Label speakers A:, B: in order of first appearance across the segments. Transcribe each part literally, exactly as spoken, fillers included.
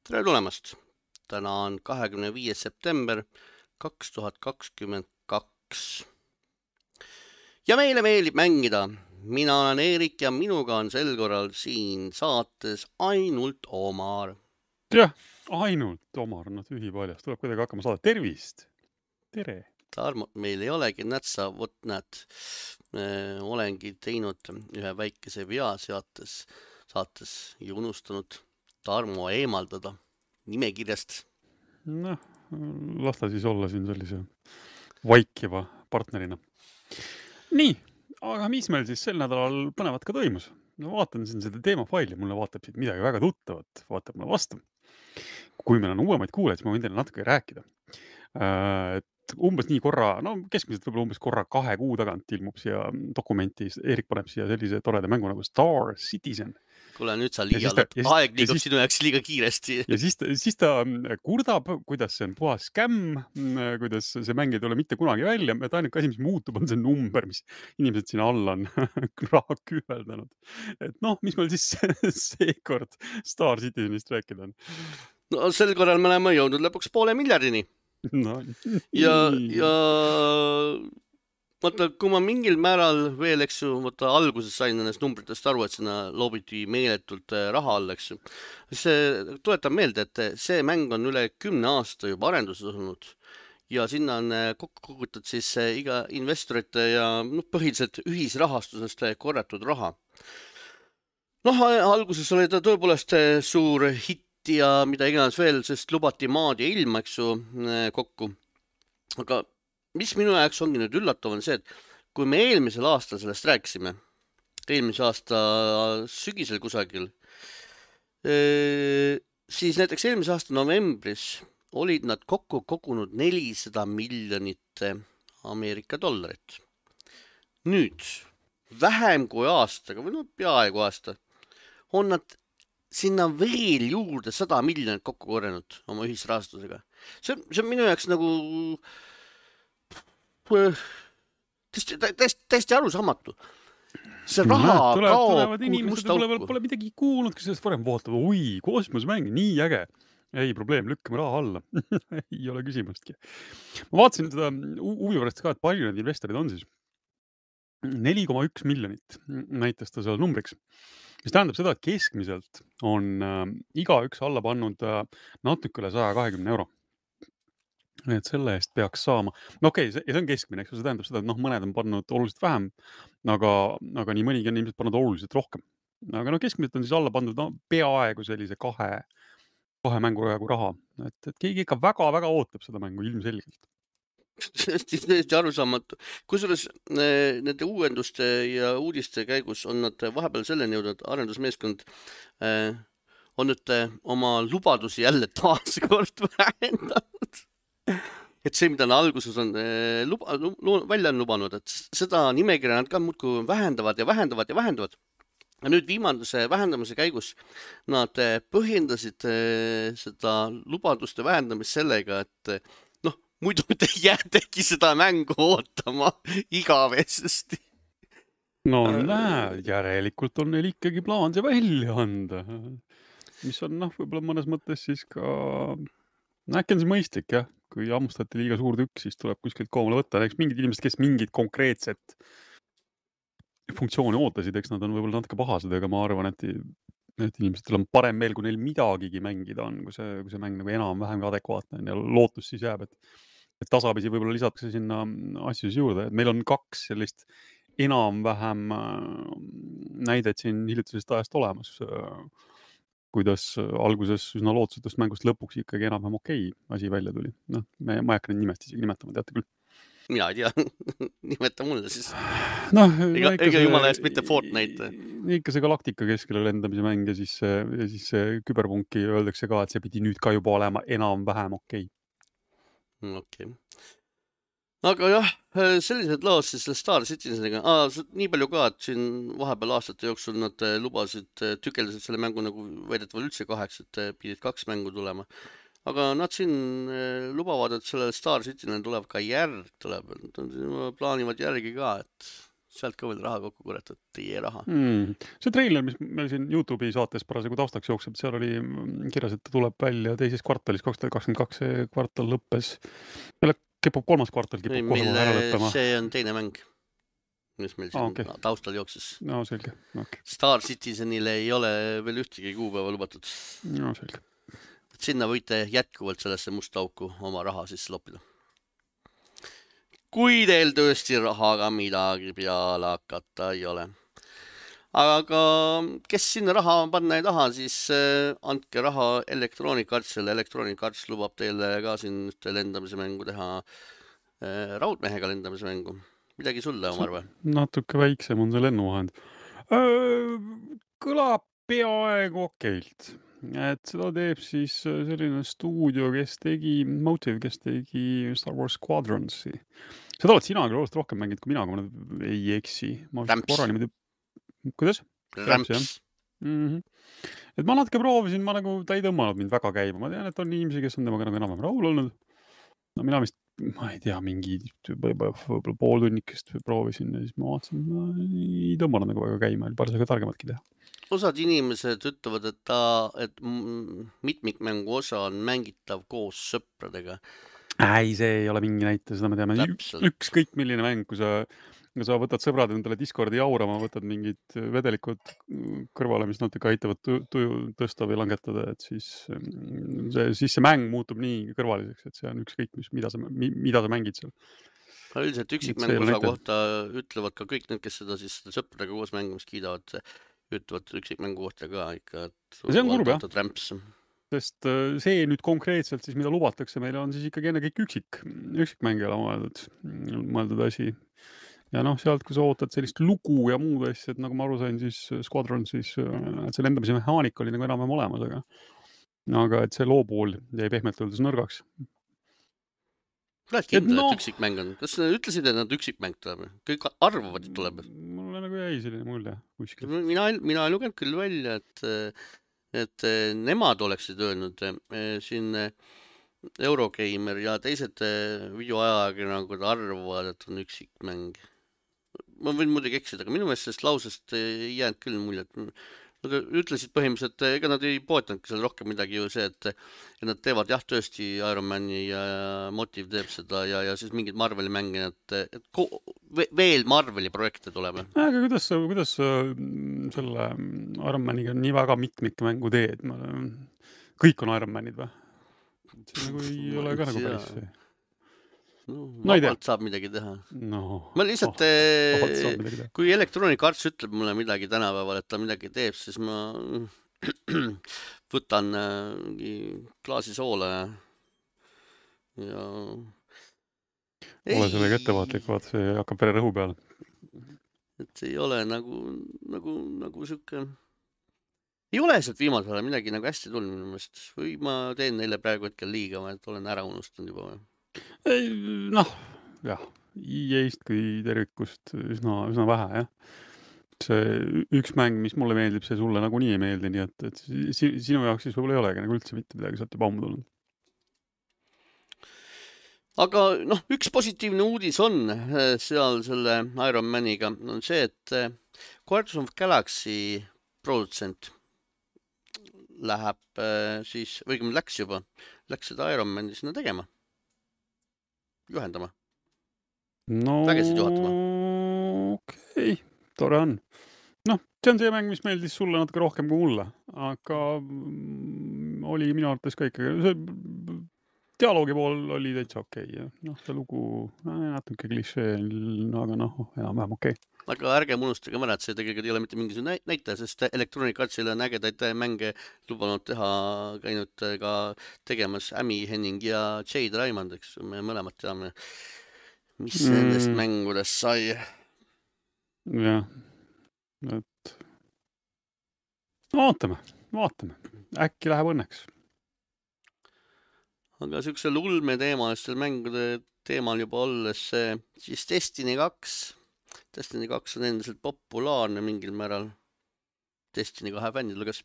A: Tere tulemast! Täna on kahekümne viies september kaks tuhat kakskümmend kaks. Ja meile meeldib mängida. Mina olen Eerik ja minuga on sel korral siin saates ainult Omar.
B: Jah, ainult Omar, no tühi paljas. Tuleb kuidagi hakkama saada. Tervist! Tere!
A: Tarmo meil ei olegi, näed sa, vot näed, olengi teinud ühe väikese vea seates, saates ja unustanud Tarmo eemaldada nimekirjast.
B: Noh, las ta siis olla siin sellise vaikiva partnerina. Nii, aga mis meil siis sel nädalal põnevat ka toimus? No vaatan siin seda teemafaili, mulle vaatab siit midagi väga tuttavat, vaatab mulle vastu. Kui meil on uuemaid kuulajaid, siis ma võin teile natuke rääkida. Et umbes nii korra, no keskmiselt võib-olla umbes korra kahe kuu tagant ilmub siia dokumenti, Eerik paneb siia sellise toreda mängu nagu Star Citizen.
A: Kuule, nüüd sa liialdad. Aeg liigub sinu jaoks liiga kiiresti.
B: Ja siis ta, siis ta kurdab, kuidas see on puhas skämm, kuidas see mäng ei tule mitte kunagi välja. Et ainuke asi, mis muutub, on see number, mis inimesed siin alla on raha kühveldanud. Et noh, mis meil siis seekord Star Citizenist rääkida on?
A: No sel korral me oleme jõudnud lõpuks poole miljardini.
B: No,
A: ja, ja vaata, kui ma mingil määral veel, eks ju, vaata alguses sain nendest numbritest aru, et sinna loobiti meeletult raha all, eks ju. See tuletab meelde, et see mäng on üle kümne aasta juba arenduses olnud ja sinna on kokku kogutud siis iga investorite ja noh, põhiliselt ühisrahastusest korratud raha. Noh, alguses oli ta tõepoolest suur hitt ja mida iganes veel, sest lubati maad ja ilma, eks ju, kokku. Aga mis minu jaoks ongi nüüd üllatav on see, et kui me eelmisel aastal sellest rääkisime, eelmise aasta sügisel kusagil, siis näiteks eelmise aasta novembris olid nad kokku kogunud nelisada miljonit Ameerika dollarit. Nüüd, vähem kui aastaga, või no peaaegu aasta, on nad sinna veel juurde sada miljonit kokku korjanud oma ühisrahastusega. See, see on minu jaoks nagu täiesti, täiesti, täiesti arusaamatu. See raha no, tuleb, kaob
B: inimesed pole, pole midagi kuulnud, kes sellest varem vaatavad. Oi, kosmosmäng, nii äge. Ei probleem, lükkame raha alla. Ei ole küsimustki. Ma vaatasin seda huvi pärast ka, et palju need investorid on siis. neli koma üks miljonit näitas ta seal numbriks. Mis tähendab seda, et keskmiselt on äh, iga üks alla pannud äh, natuke üle saja kahekümne euro. Et selle eest peaks saama. No okei, okay, see on keskmine, eks see tähendab seda, et noh, mõned on pannud oluliselt vähem, aga, aga nii mõnigi on ilmselt pannud oluliselt rohkem. Aga no keskmiselt on siis alla pandud no, peaaegu sellise kahe, kahe mängu jagu raha. Et, et keegi ikka väga-väga ootab seda mängu ilmselgelt.
A: Tõesti arusaamatu. Kusjuures nende uuenduste ja uudiste käigus on nad vahepeal selleni jõudnud, arendusmeeskond äh, on nüüd oma lubadusi jälle taaskord vähendanud. Et see, mida nad alguses on äh, luba, välja on lubanud, et seda nimekirja nad ka muudkui vähendavad ja vähendavad ja vähendavad. Ja nüüd viimase vähendamise käigus nad põhjendasid äh, seda lubaduste vähendamist sellega, et muidu te jäätegi seda mängu ootama igavesti.
B: No näe, järelikult on neil ikkagi plaan see välja anda. Mis on noh, võib-olla mõnes mõttes siis ka, äkki on see mõistlik jah, kui hammustati liiga suur tükk, siis tuleb kuskilt koomale võtta. Eks mingid inimesed, kes mingid konkreetset funktsiooni ootasid, eks nad on võib-olla natuke pahased, aga ma arvan, et, et inimestel on parem meel, kui neil midagigi mängida on, kui see, kui see mäng nagu enam-vähem adekvaatne on ja lootus siis jääb, et et tasapisi võib-olla lisatakse sinna asju juurde. Meil on kaks sellist enam-vähem näidet siin hiljutisest ajast olemas, kuidas alguses üsna lootusetust mängust lõpuks ikkagi enam-vähem okei asi välja tuli. Noh, me, ma ei hakka neid nimest isegi nimetama, teate küll.
A: Mina ei tea, nimeta mulle siis.
B: No,
A: ega ega jumala eest mitte Fortnite.
B: Ikka see galaktika keskele lendamise mäng ja siis, ja siis küberpunki öeldakse ka, et see pidi nüüd ka juba olema enam-vähem okei.
A: Okei. Aga jah, sellised lood siis selle Star Citizeniga. Ah, nii palju ka, et siin vahepeal aastate jooksul nad lubasid, tükeldasid selle mängu nagu väidetavalt üldse kaheks, et pidid kaks mängu tulema. Aga nad siin lubavad, et sellel Star Citizen tuleb ka järg, tuleb, plaanivad järgi ka, et sealt ka veel raha kokku korjata, teie raha.
B: Mm. See treiler, mis meil siin YouTube'i saates parasjagu taustaks jookseb, seal oli kirjas, et ta tuleb välja teises kvartalis, kaks tuhat kakskümmend kaks, see kvartal lõppes. Jälle kipub kolmas kvartal, kipub
A: Ei,
B: kohe
A: meil
B: ära lõppema.
A: see on teine mäng, mis meil siin
B: Ah, okei.
A: taustal jooksis.
B: No selge. Okay.
A: Star Citizenile ei ole veel ühtegi kuupäeva lubatud.
B: No selge.
A: Sinna võite jätkuvalt sellesse musta auku oma raha sisse loppida. Kui teil tõesti rahaga midagi peale hakata ei ole. Aga kes sinna raha panna ei taha, siis andke raha Electronic Artsile. Electronic Arts lubab teile ka siin ühte lendamise mängu teha, raudmehega lendamise mängu. Midagi sulle, Omar, või?
B: Natuke väiksem on see lennuvahend. Kõlab peaaegu okeilt. Et seda teeb siis selline stuudio, kes tegi Motive, kes tegi Star Wars Squadronsi. Seda oled sina küll oluliselt rohkem mängid kui mina, kui ma ei eksi. Ma
A: Ramps.
B: Korra niimoodi... Kuidas?
A: Ramps.
B: Mm-hmm. Et ma natuke proovisin, ma nagu, ta ei tõmmanud mind väga käima. Ma tean, et on inimesi, kes on temaga nagu enam rahul olnud. No mina vist, ma ei tea, mingi võib-olla pool tunnikest proovisin ja siis ma vaatasin, ma ei tõmmanud nagu väga käima, oli parasjagu targematki teha.
A: Osad inimesed ütlevad, et, ta, et mitmikmängu osa on mängitav koos sõpradega.
B: Ei, see ei ole mingi näite, seda me teame. Ükskõik milline mäng, kui sa, kui sa võtad sõbrad endale Discordi jaurama, võtad mingid vedelikud kõrvale, mis natuke aitavad tuju tõsta või langetada, et siis see, siis see mäng muutub nii kõrvaliseks, et see on ükskõik, mis, mida sa, mida sa mängid seal.
A: Üldiselt üksikmängu osa kohta ütlevad ka kõik need, kes seda siis sõpradega koos mängimist kiidavad, ütlevad üksikmängu kohta ka ikka, et
B: see on kurb, jah.
A: Ramps.
B: Sest see nüüd konkreetselt siis, mida lubatakse, meile on siis ikkagi enne kõik üksik, üksikmängijale mõeldud, mõeldud asi. Ja noh, sealt, kui sa ootad sellist lugu ja muud asjad, nagu ma aru sain, siis Squadron, siis et see lendamise mehaanika oli nagu enam olemas, aga, aga et see loo pool jäi pehmelt öeldes nõrgaks.
A: Oled kindel, et, no, et üksikmäng on? Kas nad ütlesid, et nad üksikmäng tuleb? Kõik arvavad, et tuleb?
B: Mulle nagu jäi selline mulje kuskil.
A: Mina, mina ei lugenud küll välja, et, et nemad oleksid öelnud siin Eurogeimer ja teised videoajakirjanikud arvavad, et on üksikmäng. Ma võin muidugi eksida, aga minu meelest sellest lausest ei jäänud küll mulje, et nad ütlesid põhimõtteliselt, ega nad ei poetanudki seal rohkem midagi ju see, et ja nad teevad jah tõesti Iron Mani ja Motive teeb seda ja, ja siis mingid Marveli mänge, et, et ko, veel Marveli projekte tuleb.
B: Aga kuidas, kuidas selle Iron Maniga nii väga mitmikmängu teed? Kõik on Iron Manid või? See nagu ei Ma ole ka nagu päris see.
A: No, vabalt saab midagi teha.
B: No,
A: ma lihtsalt, oh, kui Electronic Arts ütleb mulle midagi tänapäeval, et ta midagi teeb, siis ma võtan mingi klaasi soola ja, ja...
B: ole sellega ettevaatlik, vaat see hakkab vere rõhu peale.
A: Et see ei ole nagu, nagu, nagu siuke... Ei ole sealt viimasel ajal midagi nagu hästi tulnud minu meelest. Või ma teen neile praegu hetkel liiga, et olen ära unustanud juba või?
B: Ei, noh, jah, E A-st kui tervikust üsna, üsna vähe, jah. See üks mäng, mis mulle meeldib, see sulle nagu nii ei meeldi, nii et, et sinu jaoks siis võib-olla ei olegi nagu üldse mitte midagi sealt juba ammu tulnud.
A: Aga noh, üks positiivne uudis on seal selle Iron Maniga, on see, et Guardians of Galaxy produtsent läheb siis, või kui läks juba, läks seda Iron Mani sinna tegema. Juhendama.
B: No,
A: vägesid juhatama.
B: Okei, okay, tore on. Noh, see on see mäng, mis meeldis sulle natuke rohkem kui mulle, aga oli minu arvates ka ikkagi, see dialoogi pool oli täitsa okei. Okay. Noh, see lugu natuke klišee, aga noh, enam-vähem okei. Okay.
A: Aga ärge unustage mõne, et see tegelikult ei ole mitte mingisugune näitaja, sest Electronic Artsil on ägedaid mänge lubanud teha, käinud ka tegemas Amy Henning ja Jade Raymond, eks me mõlemad teame, mis mm. nendest mängudest sai.
B: Jah, et vaatame, vaatame. Äkki läheb õnneks.
A: Aga siuksel ulme teemalistel mängude teemal juba olles, siis Destiny kaks Destiny kaks on endiselt populaarne mingil määral. Destiny kahe fännidel kas.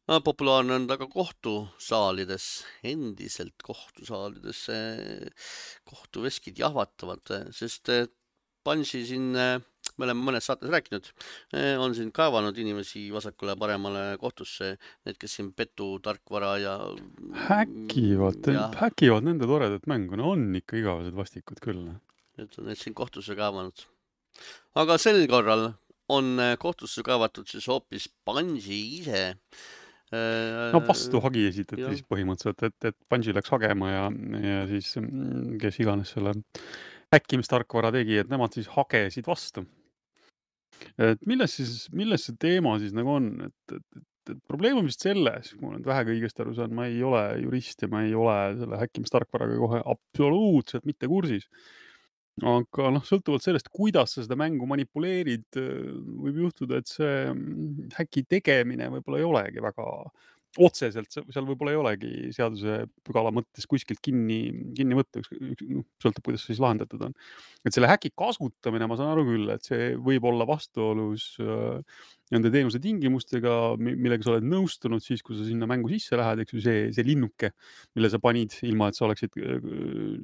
A: No, populaarne on ta ka kohtusaalides, endiselt kohtusaalides kohtuveskid jahvatavad, sest Bungi siin, me oleme mõnes saates rääkinud, on siin kaevanud inimesi vasakule paremale kohtusse, need, kes siin petu, tarkvara ja
B: häkivad,
A: ja
B: häkivad nende toredat mängu, no on ikka igavesed vastikud küll.
A: need on need siin kohtusse kaevanud. Aga sel korral on kohtusse kaevatud siis hoopis Bungi ise.
B: No vastu hagi esitati siis põhimõtteliselt, et, et Bungi läks hagema ja, ja siis kes iganes selle häkkimistarkvara tegi, et nemad siis hagesid vastu. Et milles siis, milles see teema siis nagu on, et, et, et, et probleem on vist selles, kui ma olen vähega õigesti aru saan, ma ei ole jurist ja ma ei ole selle häkkimistarkvaraga kohe absoluutselt mitte kursis. Aga noh, sõltuvalt sellest, kuidas sa seda mängu manipuleerid, võib juhtuda, et see häki tegemine võib-olla ei olegi väga otseselt, seal võib-olla ei olegi seaduse pügala mõttes kuskilt kinni, kinni võtta, sõltub, kuidas see siis lahendatud on. Et selle häki kasutamine, ma saan aru küll, et see võib olla vastuolus nende teenuse tingimustega, millega sa oled nõustunud siis, kui sa sinna mängu sisse lähed, eks ju, see, see linnuke, mille sa panid, ilma et sa oleksid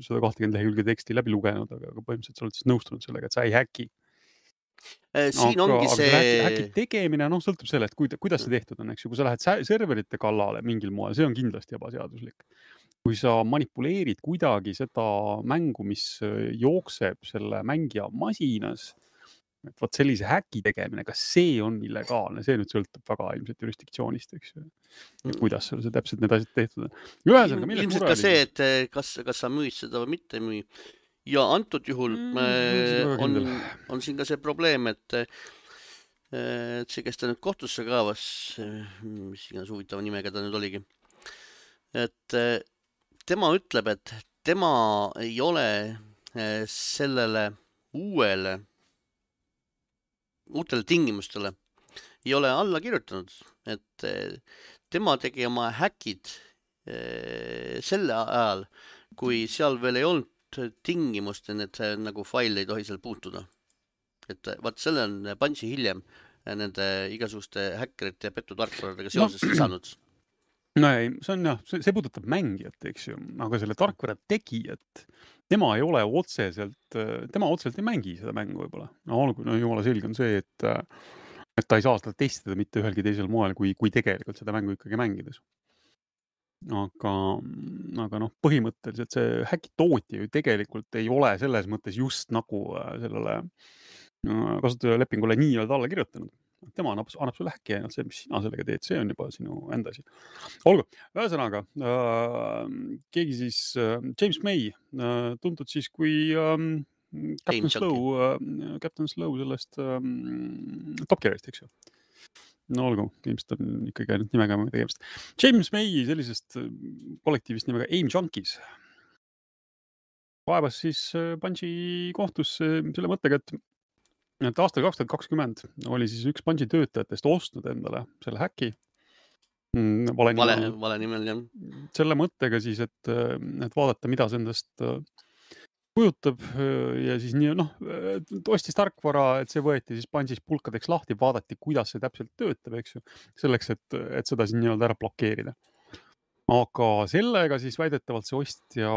B: sada kakskümmend lehekülge teksti läbi lugenud, aga, aga põhimõtteliselt sa oled siis nõustunud sellega, et sa ei häki.
A: Siin
B: aga,
A: ongi
B: aga
A: see...
B: Häki, häki tegemine, noh, sõltub sellest, kuidas see tehtud on, eks ju, kui sa lähed serverite kallale mingil moel, see on kindlasti ebaseaduslik. Kui sa manipuleerid kuidagi seda mängu, mis jookseb selle mängija masinas, et võt sellise häki tegemine, kas see on illegaalne, see nüüd sõltub väga ilmselt jurisdiktsioonist, eks ju. Ja kuidas see täpselt need asjad tehtud on. Ühesõnaga, milles
A: ilmselt ka see, et kas, kas sa müüd seda või mitte müü. Ja antud juhul mm, on, on siin ka see probleem, et, et see, kes ta nüüd kohtusse kaevas, mis iganes huvitava nimega ta nüüd oligi, et tema ütleb, et tema ei ole sellele uuele, uutele tingimustele ei ole alla kirjutanud, et tema tegi oma häkid selle ajal, kui seal veel ei olnud tingimust, et nagu fail ei tohi seal puutuda. Et vaat selle on Bungi hiljem nende igasuguste häkkerite ja petutarkvaradega seoses no. lisanud.
B: No ei, see on jah, see, see puudutab mängijat, eks ju, aga selle tarkvara tegijat, tema ei ole otseselt, tema otseselt ei mängi seda mängu võib-olla. No olgu, no jumala selge on see, et, et ta ei saa seda testida mitte ühelgi teisel moel, kui, kui tegelikult seda mängu ikkagi mängides. Aga, aga noh, põhimõtteliselt see häki tootja ju tegelikult ei ole selles mõttes just nagu sellele kasutajalepingule nii-öelda alla kirjutanud. Tema annab, annab sulle häki ainult see, mis sina sellega teed, see on juba sinu enda asi. Olgu, ühesõnaga, äh, keegi siis äh, James May, äh, tuntud siis kui äh, Captain Slow, äh, Captain Slow sellest äh, Top Gearist, eks ju. No olgu, ilmselt on ikkagi ainult nimega tegemist. James May sellisest kollektiivist nimega Aim Junkies kaebas siis Bungi kohtusse selle mõttega, et, et aastal kaks tuhat kakskümmend oli siis üks Bungi töötajatest ostnud endale selle häki.
A: Vale, vale, vale nimel, jah.
B: Selle mõttega siis, et, et vaadata, mida see endast kujutab ja siis nii, noh, ostis tarkvara, et see võeti siis Bungis pulkadeks lahti, vaadati, kuidas see täpselt töötab, eks ju, selleks, et, et seda siin nii-öelda ära blokeerida. Aga sellega siis väidetavalt see ostja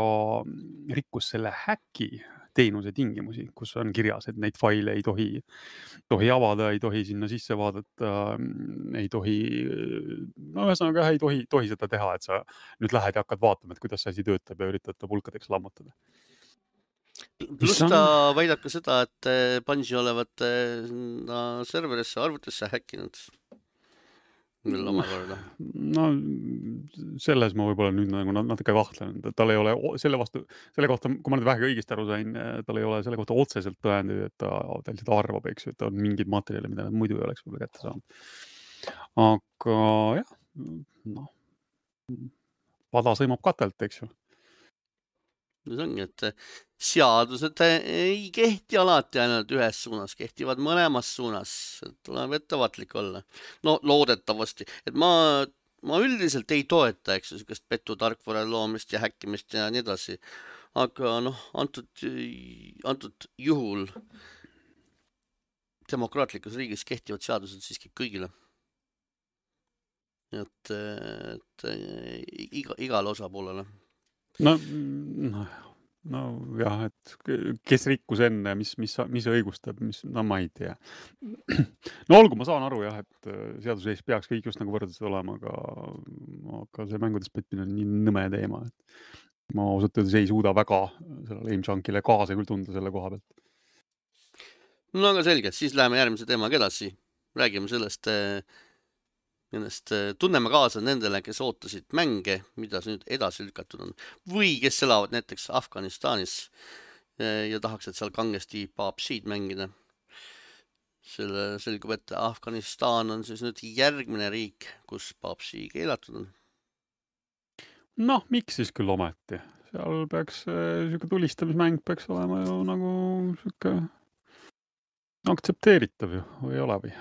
B: rikkus selle häki teenuse tingimusi, kus on kirjas, et neid faile ei tohi, tohi avada, ei tohi sinna sisse vaadata, ei tohi, no ühesõnaga ei tohi, tohi seda teha, et sa nüüd lähed ja hakkad vaatama, et kuidas see asi töötab ja üritad ta pulkadeks lammutada.
A: Plus ta väidab ka seda, et Bungi olevat serverisse, arvutisse häkkinud. Veel omakorda.
B: No selles ma võib-olla nüüd nagu natuke kahtlen. Tal ei ole selle vastu, selle kohta, kui ma nüüd vähegi õigesti aru sain, tal ei ole selle kohta otseselt tõendeid, et ta, ta lihtsalt arvab, eks ju, et on mingid materjali, mida nad muidu ei oleks võib-olla kätte saanud. Aga jah, noh, pada sõimab katelt, eks ju.
A: See ongi, et seadused ei kehti alati ainult ühes suunas, kehtivad mõlemas suunas, et tuleb ettevaatlik olla. No loodetavasti, et ma, ma üldiselt ei toeta, eks ju, sellist petutarkvara loomist ja häkkimist ja nii edasi. Aga noh, antud, antud juhul demokraatlikus riigis kehtivad seadused siiski kõigile. Et, et iga, igale osapoolele.
B: No, no no jah, et kes rikkus enne, mis, mis, mis õigustab, mis, no ma ei tea. No olgu, ma saan aru jah, et seaduse ees peaks kõik just nagu võrdlused olema, aga, aga see mängudes petmine on nii nõme teema, et ma ausalt öeldes ei suuda väga sellele Aimchunkile kaasa küll tunda selle koha pealt.
A: No aga selge, siis läheme järgmise teemaga edasi. Räägime sellest, nendest tunneme kaasa nendele, kes ootasid mänge, mida see nüüd edasi lükatud on. Või kes elavad näiteks Afganistanis ja tahaks, et seal kangesti P U B G-d mängida. Selle selgub, et Afganistan on siis nüüd järgmine riik, kus P U B G keelatud on.
B: Noh, miks siis küll ometi? Seal peaks siuke tulistamismäng peaks olema ju nagu siuke aktsepteeritav ju, või ei ole või?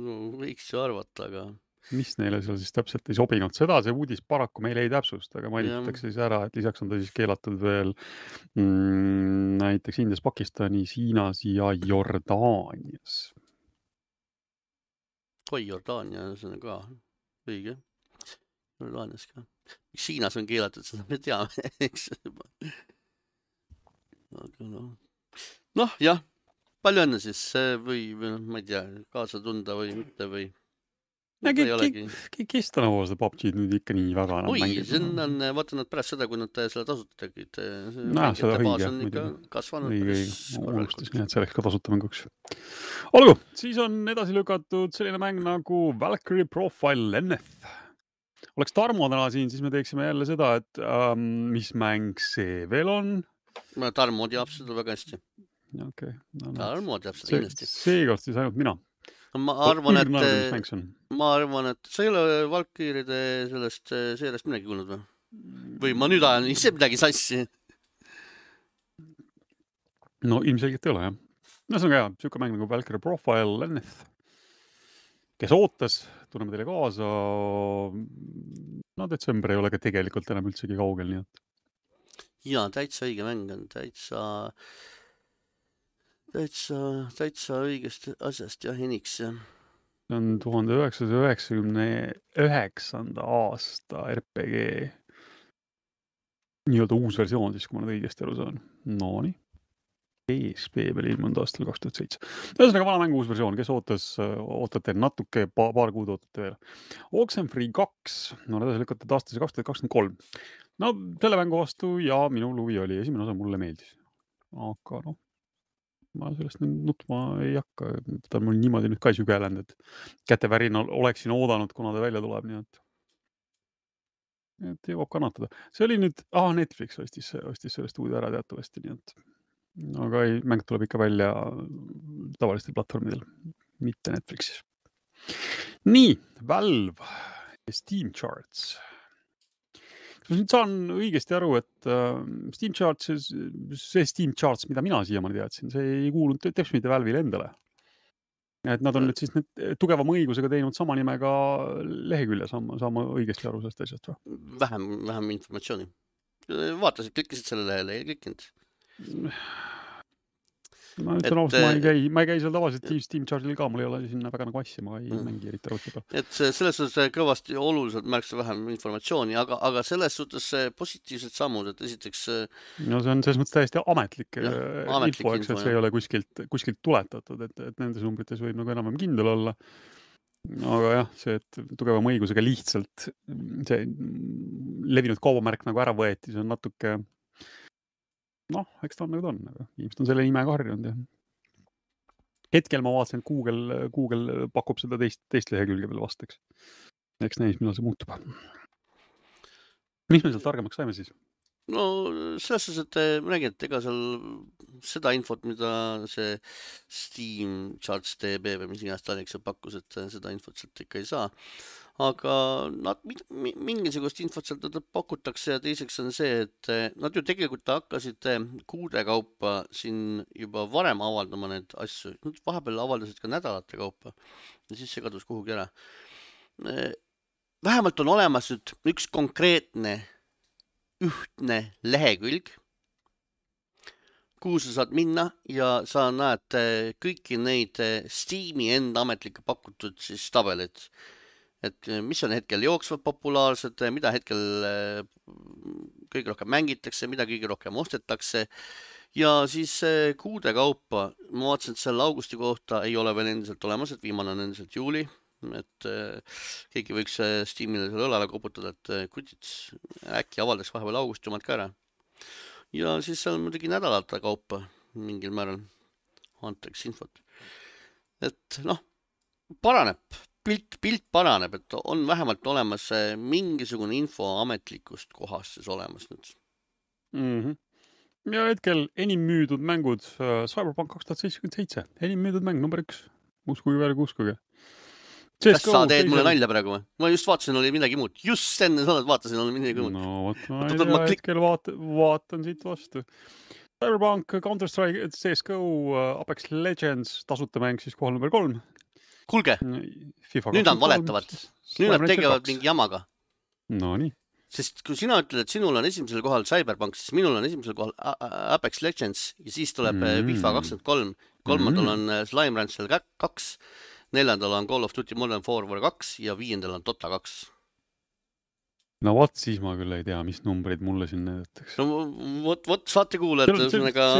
A: No võiks ju arvata, aga...
B: Mis neile seal siis täpselt ei sobinud? Seda see uudis paraku meile ei täpsust, aga mainitakse siis ära, et lisaks on ta siis keelatud veel mm, näiteks Indias, Pakistanis, Hiinas ja Jordaanias.
A: Oi, Jordaania, see on ka õige. Jordaanias ka. Miks Hiinas on keelatud, seda me teame, eks. Aga noh, noh jah, palju õnne siis või, või ma ei tea, kaasa tunda või mitte või
B: Ja, kes ta nagu seda P U B G-d nüüd ikka nii väga enam
A: Oi,
B: mängib?
A: see on, vaata nad pärast seda, kui nad selle tasuta tegid.
B: No, seda õige,
A: on ikka kasvanud.
B: Õige, unustasin, et see oleks ka tasuta mänguks. Olgu, siis on edasi lükatud selline mäng nagu Valkyrie Profile N F. Oleks Tarmo täna siin, siis me teeksime jälle seda, et ähm, mis mäng see veel on?
A: Tarmo teab seda väga hästi.
B: Okay. No,
A: Tarmo teab seda kindlasti.
B: Seekord siis ainult mina.
A: Ma arvan, et, ma arvan, et sa ei ole Valkyride sellest seerest midagi kuulnud või? Või ma nüüd ajan ise midagi sassi?
B: No ilmselgelt ei ole, jah. No see on ka hea, siuke mäng nagu Valkyrie Profile N F. Kes ootas, tunneme teile kaasa. No detsember ei ole ka tegelikult enam üldsegi kaugel, nii et.
A: Jaa, täitsa õige mäng on, täitsa... Täitsa, täitsa õigest asjast ja heniks.
B: See on tuhande üheksasaja üheksakümne üheksanda aasta R P G nii-öelda uus versioon, siis kui ma nüüd õigesti aru saan. No nii. P S P peal ilmunud aastal kaks tuhat seitse. Ühesõnaga vana mängu uus versioon, kes ootas, ootate natuke, paar kuud ootate veel. Oxenfree kaks, no edasi lükatud aastase kaks tuhat kakskümmend kolm. No selle mängu vastu ja minu luvi oli, esimene osa mulle meeldis. Aga noh, ma sellest nutma ei hakka, ta on mul niimoodi nüüd ka sügelenud, et kätevärinal oleksin oodanud, kuna ta välja tuleb, nii et et jõuab kannatada. See oli nüüd, ah, Netflix ostis, ostis sellest uude ära teatavasti, nii et aga ei, mäng tuleb ikka välja tavalistel platvormidel, mitte Netflixis. Nii, Valve ja Steam Charts. Ma nüüd saan õigesti aru, et uh, Steam Charts, see Steam Charts, mida mina siiamaani teadsin, see ei kuulunud teps mitte Valve'ile endale. Et nad on nüüd siis need tugevama õigusega teinud sama nimega lehekülje, saama, saama õigesti aru sellest asjast või?
A: Vähem, vähem informatsiooni. Vaatasid, klikkisid selle lehele, ei klikkinud.
B: Ma ütlen ausalt, ma ei käi, ma ei käi seal tavaliselt Steam, Steam Charge'il ka, mul ei ole sinna väga nagu asja, ma ei mm. mängi eriti arvuti peal.
A: Et selles suhtes kõvasti oluliselt märksa vähem informatsiooni, aga, aga selles suhtes positiivsed sammud, et esiteks...
B: No see on selles mõttes täiesti ametlik, ja, ametlik info, eks, et see ei ole kuskilt, kuskilt tuletatud, et, et nendes numbrites võib nagu enam kindel olla. Aga jah, see, et tugevama õigusega lihtsalt see levinud kaubamärk nagu ära võeti, see on natuke... noh, eks ta on nagu ta on, aga inimesed on selle nimega harjunud ja hetkel ma vaatasin, et Google, Google pakub seda teist, teist lehekülge veel vastaks. Eks näis, millal see muutub. Mis me seal targemaks saime siis?
A: No selles suhtes, et ma nägin, et ega seal seda infot, mida see Steam Charts D B või mis iganes Tallinks pakkus, et seda infot sealt ikka ei saa. Aga nad mingisugust infot sealt pakutakse ja teiseks on see, et nad ju tegelikult hakkasid kuude kaupa siin juba varem avaldama need asju. Nad vahepeal avaldasid ka nädalate kaupa ja siis see kadus kuhugi ära. Vähemalt on olemas nüüd üks konkreetne ühtne lehekülg, kuhu sa saad minna ja sa näed kõiki neid Steam'i enda ametlikke pakutud siis tabeleid. Et mis on hetkel jooksvad populaarsed, mida hetkel kõige rohkem mängitakse, mida kõige rohkem ostetakse ja siis kuude kaupa, ma vaatasin, et seal augusti kohta ei ole veel endiselt olemas, et viimane on endiselt juuli, et keegi võiks Steamile seal õlale koputada, et kutid äkki avaldaks vahepeal augusti omad ka ära. Ja siis seal muidugi nädalate kaupa mingil määral antakse infot. Et noh, paraneb, pilt, pilt paraneb, et on vähemalt olemas mingisugune info ametlikust kohast siis olemas nüüd.
B: Mm-hmm. Ja hetkel enim müüdud mängud uh, Cyberpunk kaks tuhat seitsekümmend seitse, enim müüdud mäng number üks, uskuge veel, uskuge.
A: Kas sa teed mulle nalja praegu või? Ma just vaatasin, oli midagi muud. Just enne sa oled vaatasin, oli midagi muud.
B: No, võt, ma ei tea, hetkel vaat, vaatan siit vastu. Cyberpunk, Counter-Strike, C S G O, Apex Legends, tasuta mäng siis kohal number kolm.
A: Kuulge, FIFA nüüd nad valetavad. Nüüd nad tegevad mingi jamaga.
B: No nii.
A: Sest kui sina ütled, et sinul on esimesel kohal Cyberpunk, siis minul on esimesel kohal Apex Legends ja siis tuleb mm. FIFA kakskümmend kolm. Kolmandal mm. on Slime Rancher kaks, neljandal on Call of Duty Modern Warfare kaks ja viiendal on Dota kaks.
B: No vot, siis ma küll ei tea, mis numbrid mulle siin näidatakse.
A: No vot, vot saate kuule, et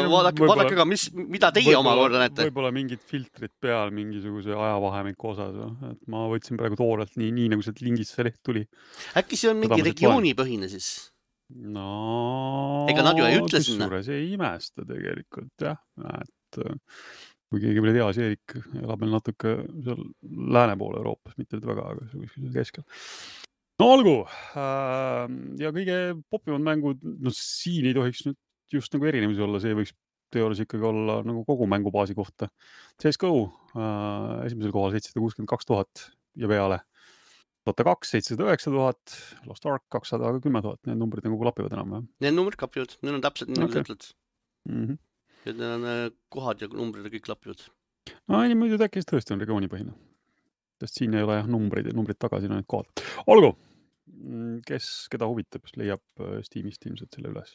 A: vaadake, vaadake ka, mis, mida teie oma korda näete.
B: Võib-olla mingid filtrid peal mingisuguse ajavahemiku osas. Et ma võtsin praegu toorelt nii, nii nagu see lingist see leht tuli.
A: Äkki see on mingi regioonipõhine siis?
B: No,
A: ega nad ju ei ütle sinna.
B: Kusjuures ei imesta tegelikult, jah. Et kui keegi veel teas, Eerik elab meil natuke seal lääne poole Euroopas, mitte väga, aga see keskel. No olgu, ja kõige popimad mängud, no siin ei tohiks nüüd just nagu erinevusi olla, see võiks teoorias ikkagi olla nagu kogu mängubaasi kohta. C S G O esimesel kohal seitsesada kuuskümmend kaks tuhat ja peale. Dota kaks seitsesada üheksa tuhat, Lost Ark kakssada kümme tuhat, need numbrid nagu klapivad enam. Ja?
A: Need numbrid klapivad, need on täpselt nii, nagu sa ütled.
B: Mm-hmm.
A: Ja need on kohad ja numbrid ja kõik klapivad.
B: No ei, muidu äkki tõesti on regioonipõhine. Sest siin ei ole jah numbrid ja numbrid tagasi, no need kohad. Olgu! Kes, keda huvitab, leiab Steamist ilmselt selle üles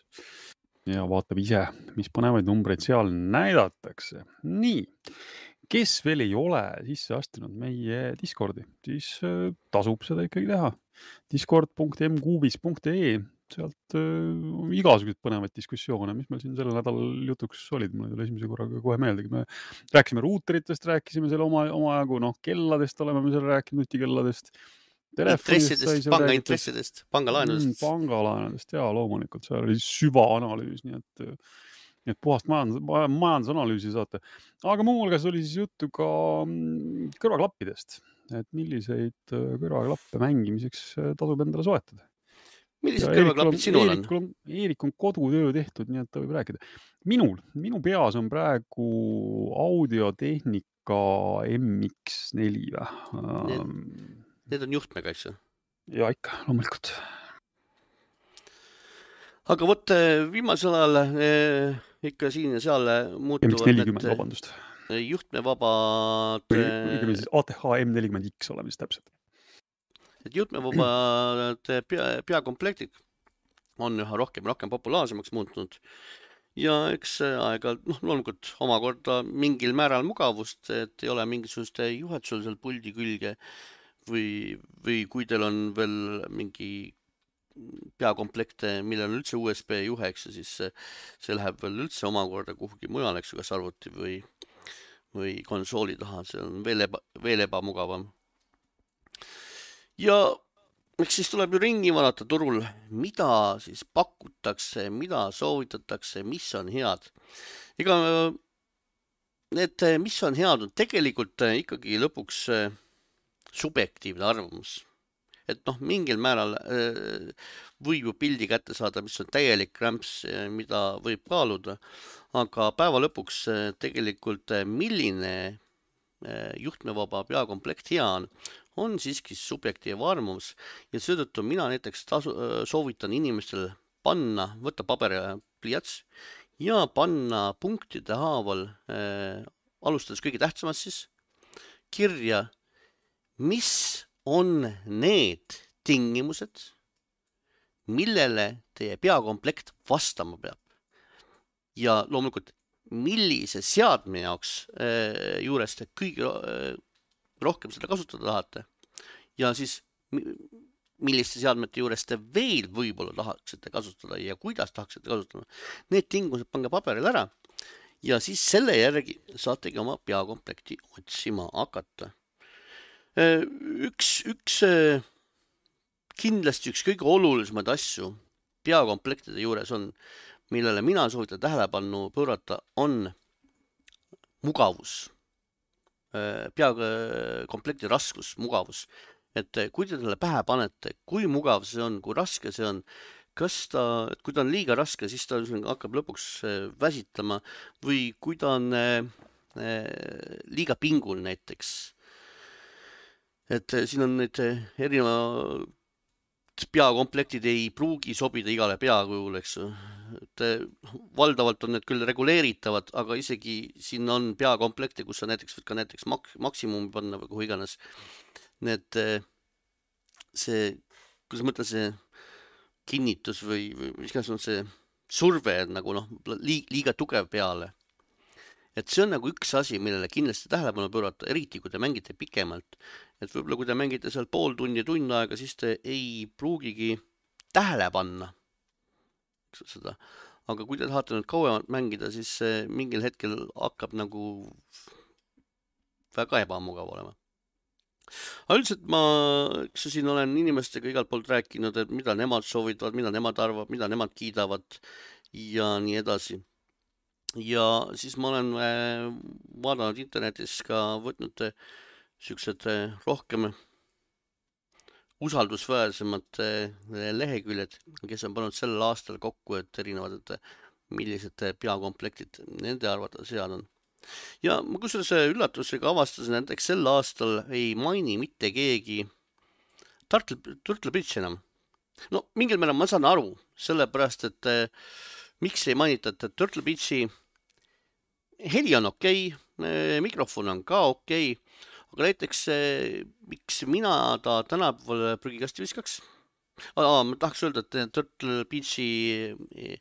B: ja vaatab ise, mis põnevaid numbreid seal näidatakse. Nii, kes veel ei ole sisse astunud meie Discordi, siis tasub seda ikkagi teha. discord punkt m kuubis punkt e, sealt uh, igasugused põnevaid diskussioone, mis meil siin selle nädalal jutuks olid, mulle tuli esimese korraga kohe meeldegi. Me rääkisime ruuteritest, rääkisime selle oma, oma jagu, noh, kelladest oleme me seal rääkinud, nutikelladest.
A: Intressidest, panga intressidest, pangalaenudest.
B: Mm, pangalaenudest, jaa, loomulikult. See oli süvaanalüüs, nii et, nii et puhast majandus, majandusanalüüsi saate. Aga muu hulgas oli siis juttu ka kõrvaklappidest, et milliseid kõrvaklappe mängimiseks tasub endale soetada.
A: Millised kõrvaklapid sinul on?
B: on? Eerik on kodutöö tehtud, nii et ta võib rääkida. Minul, minu peas on praegu audiotehnika M X neli või?
A: Need on juhtmega, eks ju?
B: Ja ikka, loomulikult.
A: Aga võt viimasel ajal eh, ikka siin ja seal muutuvad
B: M X nelikümmend, vabandust.
A: Juhtmevabad...
B: Õigemi siis A T H M nelikümmend X oleme siis täpselt.
A: Et juhtmevabad pea, peakomplektid on üha rohkem rohkem populaarsemaks muutunud. Ja eks aega, noh, loomulikult omakorda mingil määral mugavust, et ei ole mingisuguste juhatsul seal puldi külge. Või, või kui teil on veel mingi peakomplekte, millel on üldse U S B juhe, eks, siis see läheb veel üldse omakorda kuhugi mujal, eks, kas arvuti või, või konsooli taha, see on veel, eba, veel ebamugavam. Ja eks siis tuleb ju ringi vaadata turul, mida siis pakutakse, mida soovitatakse, mis on head. Ega need, mis on head, on tegelikult ikkagi lõpuks subjektiivne arvamus. Et noh, mingil määral äh, võib ju pildi kätte saada, mis on täielik krämps, mida võib kaaluda, aga päeva lõpuks äh, tegelikult äh, milline äh, juhtmevaba peakomplekt hea on, on siiski subjektiivne arvamus ja seetõttu mina näiteks tasu, äh, soovitan inimestel panna, võtta paber ja pliiats ja panna punktide haaval, äh, alustades kõige tähtsamast siis, kirja mis on need tingimused, millele teie peakomplekt vastama peab. Ja loomulikult, millise seadme jaoks äh, juurest kõige äh, rohkem seda kasutada tahate. Ja siis milliste seadmete juures te veel võib-olla tahaksite kasutada ja kuidas tahaksite kasutada. Need tingimused pange paberil ära ja siis selle järgi saategi oma peakomplekti otsima hakata. Üks, üks kindlasti üks kõige olulisemaid asju peakomplektide juures on, millele mina soovitan tähelepanu pöörata, on mugavus. Peakomplekti raskus, mugavus. Et kui te talle pähe panete, kui mugav see on, kui raske see on, kas ta, kui ta on liiga raske, siis ta hakkab lõpuks väsitlema või kui ta on liiga pingul näiteks. Et siin on need erinevad peakomplektid ei pruugi sobida igale peakujule, eks. Et valdavalt on need küll reguleeritavad, aga isegi siin on peakomplekti, kus sa näiteks võid ka näiteks mak maksimumi panna või kuhu iganes. Need, see, kuidas mõtle see kinnitus või, või mis on see surve nagu noh, liiga tugev peale. Et see on nagu üks asi, millele kindlasti tähelepanu pöörata, eriti kui te mängite pikemalt. Et võib-olla kui te mängite seal pool tundi tund aega, siis te ei pruugigi tähele panna seda. Aga kui te tahate nüüd kauemalt mängida, siis mingil hetkel hakkab nagu väga ebamugav olema. Aga üldiselt ma, eks siin olen inimestega igalt poolt rääkinud, et mida nemad soovitavad, mida nemad arvavad, mida nemad kiidavad ja nii edasi. Ja siis ma olen vaadanud internetis ka võtnud siuksed rohkem usaldusväärsemad leheküljed, kes on pannud sellel aastal kokku, et erinevad, et millised peakomplektid nende arvata seal on. Ja ma kusjuures üllatusega avastasin, näiteks sel aastal ei maini mitte keegi Turtle, Turtle Bridge enam. No mingil määral ma saan aru, sellepärast, et miks ei mainita, et Turtle Bridge'i heli on okei, mikrofon on ka okei, aga näiteks miks mina ta tänapäeval prügikasti viskaks? Aa, ma tahaks öelda, et Turtle Bridge'i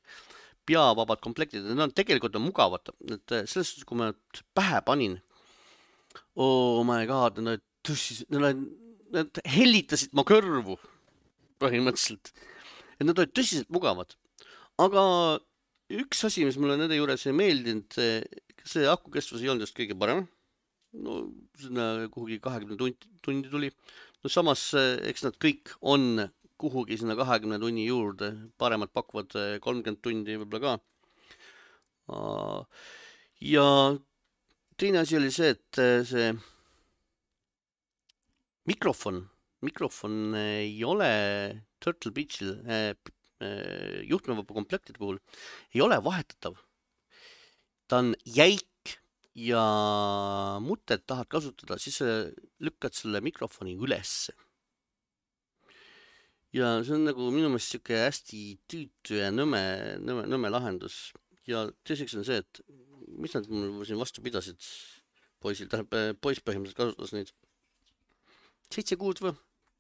A: peavabad komplektid, need on tegelikult on mugavad, et selles suhtes, kui ma pähe panin, oh my god, need, tõssis, need, need hellitasid ma kõrvu põhimõtteliselt, et need olid tõsiselt mugavad, aga üks asi, mis mulle nende juures ei meeldinud, see akukestvus ei olnud just kõige parem, no sinna kuhugi kahekümne tundi, tundi tuli, no samas eks nad kõik on kuhugi sinna kahekümne tunni juurde, paremad pakuvad kolmkümmend tundi võib-olla ka. Ja teine asi oli see, et see mikrofon, mikrofon ei ole Turtle Bridge'il juhtmevaba komplektide puhul, ei ole vahetatav. Ta on jäik ja mutet tahad kasutada, siis lükkad selle mikrofoni ülesse. Ja see on nagu minu meelest siuke hästi tüütu ja nõme, nõme, nõme lahendus. Ja teiseks on see, et mis nad mul siin vastu pidasid poisil, tähendab poiss põhimõtteliselt kasutas neid seitse kuud või?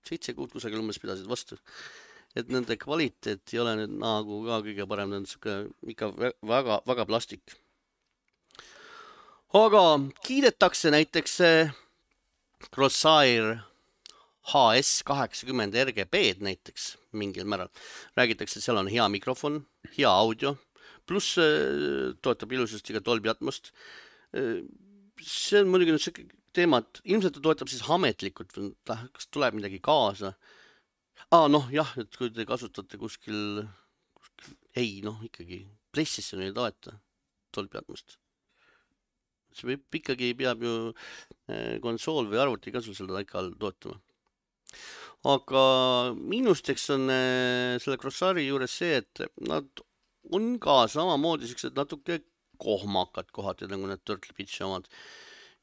A: Seitse kuud kusagil umbes pidasid vastu. Et nende kvaliteet ei ole nüüd nagu ka kõige parem, need on siuke ikka väga, väga plastik. Aga kiidetakse näiteks Crosshair H S kaheksakümmend R G B-d näiteks mingil määral. Räägitakse, et seal on hea mikrofon, hea audio, pluss toetab ilusasti ka Dolby Atmost. See on muidugi nüüd see teema, et ilmselt ta toetab siis ametlikult, kas tuleb midagi kaasa. Aa, noh, jah, et kui te kasutate kuskil, kuskil ei, noh, ikkagi PlayStation ei toeta Dolby Atmost. See võib ikkagi peab ju konsool või arvuti ka sul seda ikka all toetama. Aga miinusteks on selle Crosshairi juures see, et nad on ka samamoodi siuksed natuke kohmakad kohati, nagu need Turtle Bridge'i omad.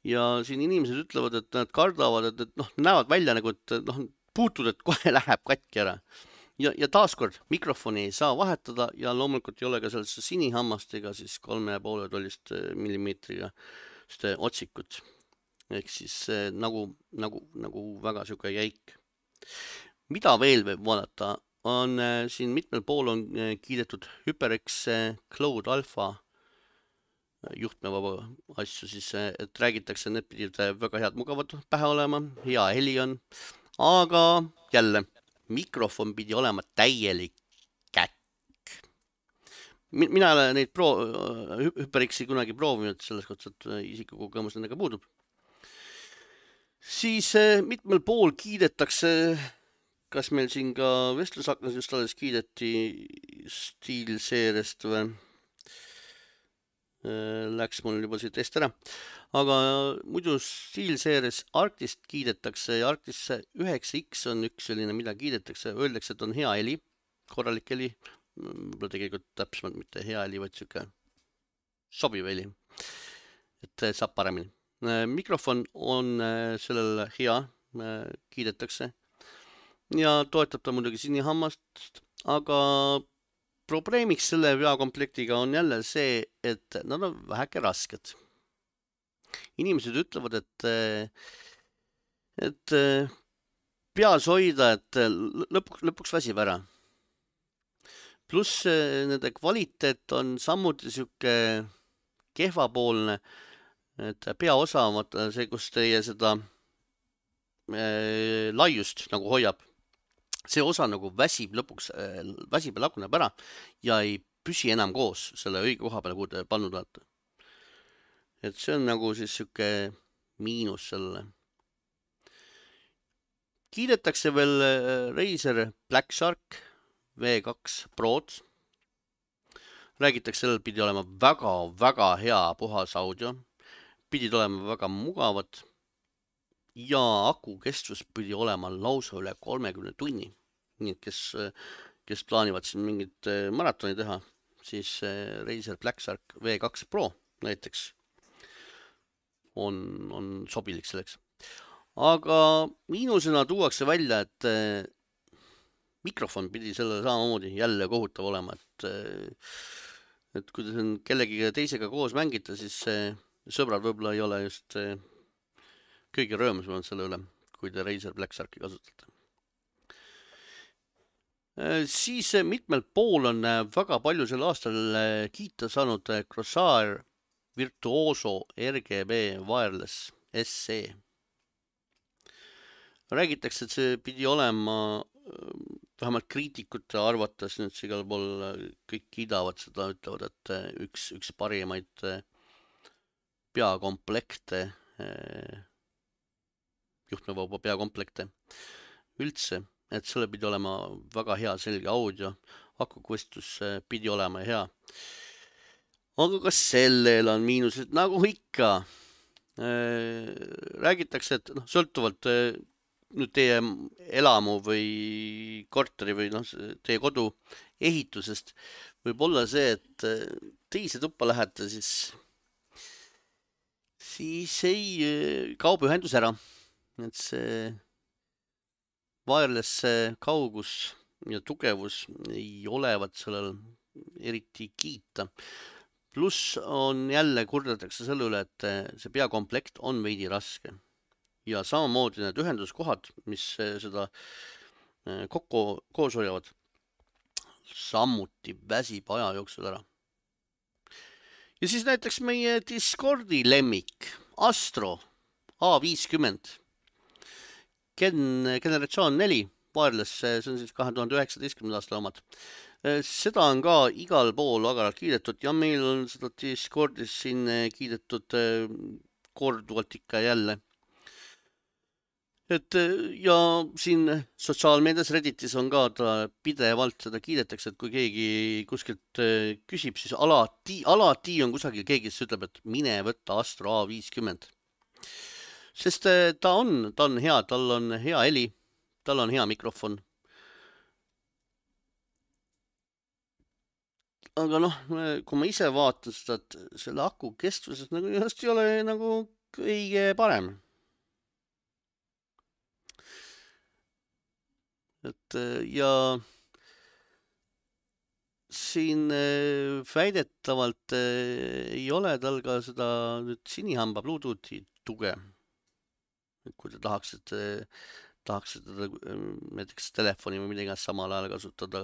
A: Ja siin inimesed ütlevad, et nad kardavad, et, et noh, näevad välja nagu, et noh, puutud, et kohe läheb katki ära. Ja, ja taaskord mikrofoni ei saa vahetada ja loomulikult ei ole ka sellesse sinihammast ega siis kolme ja poole tollist millimeetriga otsikut. Ehk siis nagu, nagu, nagu väga siuke jäik. Mida veel võib vaadata, on siin mitmel pool on kiidetud HyperX Cloud Alpha juhtmevaba asju, siis et räägitakse, need pidid väga head mugavad pähe olema, hea heli on, aga jälle mikrofon pidi olema täielik käkk. Mina olen neid pro-, HyperX-i kunagi proovinud, selles kohta, et isikukogemus nendega puudub. Siis mitmel pool kiidetakse, kas meil siin ka vestlusaknas just alles kiideti SteelSeries'st või? Läks mul juba siit eest ära. Aga muidu SteelSeries Arctist kiidetakse ja Arctis üheksa X on üks selline, mida kiidetakse. Öeldakse, et on hea heli, korralik heli. Võib-olla tegelikult täpsemalt mitte hea heli, vaid siuke sobiv heli. Et saab paremini. Mikrofon on sellel hea, kiidetakse. Ja toetab ta muidugi sinihammast, aga probleemiks selle veakomplektiga on jälle see, et nad on väheke rasked. Inimesed ütlevad, et, et peas hoida, et lõpuks, lõpuks väsib ära. Pluss nende kvaliteet on samuti siuke kehvapoolne, et peaosa, see, kus teie seda äh, laiust nagu hoiab, see osa nagu väsib lõpuks, väsib ja laguneb ära ja ei püsi enam koos selle õige koha peale, kuhu te pannud olete. Et see on nagu siis siuke miinus selle. Kiidetakse veel Razer Black Shark V kaks Prod. Räägitakse, sellel pidi olema väga, väga hea puhas audio. Pidid olema väga mugavad. Ja aku kestvus pidi olema lausa üle kolmekümne tunni. Nii, kes, kes plaanivad siin mingit maratoni teha, siis Razer Black Shark V kaks Pro näiteks on, on sobilik selleks. Aga miinusena tuuakse välja, et mikrofon pidi selle samamoodi jälle kohutav olema, et, et kui te siin kellegi teisega koos mängite, siis sõbrad võib-olla ei ole just kõige rõõmsam selle üle, kui te Razer Black Sharki kasutate. Siis mitmel pool on väga palju sel aastal kiita saanud Corsair Virtuoso R G B Wireless S E. Räägitakse, et see pidi olema, vähemalt kriitikute arvates, nüüd see igal pool kõik kiidavad seda, ütlevad, et üks, üks parimaid peakomplekte juhtmevaba peakomplekte üldse, et selle pidi olema väga hea selge audio, akukestus pidi olema hea. Aga ka sellel on miinused, nagu ikka. Räägitakse, et no, sõltuvalt nüüd teie elamu või korteri või no, teie kodu ehitusest võib olla see, et teise tuppa lähete, siis, siis ei kaob ühendus ära. Et see wireless kaugus ja tugevus ei olevat sellel eriti kiita. Pluss on jälle kurdetakse selle üle, et see peakomplekt on veidi raske. Ja samamoodi need ühenduskohad, mis seda kokku koos hoiavad, samuti väsib aja jooksul ära. Ja siis näiteks meie Discordi lemmik Astro A viiskümmend. Gen, generatsioon neli, wireless, see on siis kahe tuhande üheksateistkümnenda aasta omad. Seda on ka igal pool agaralt kiidetud ja meil on seda Discordis siin kiidetud korduvalt ikka jälle. Et ja siin sotsiaalmeedias Redditis on ka ta pidevalt seda kiidetakse, et kui keegi kuskilt küsib, siis alati, alati on kusagil keegi, kes ütleb, et mine võtta Astro A viiskümmend. Sest ta on, ta on hea, tal on hea heli, tal on hea mikrofon. Aga noh, kui ma ise vaatan seda, et selle aku kestvuses nagu just ei ole nagu kõige parem. Et ja siin väidetavalt ei ole tal ka seda nüüd sinihamba Bluetoothi tuge. Et kui te tahaksite, tahaksite näiteks telefoni või midagi samal ajal kasutada,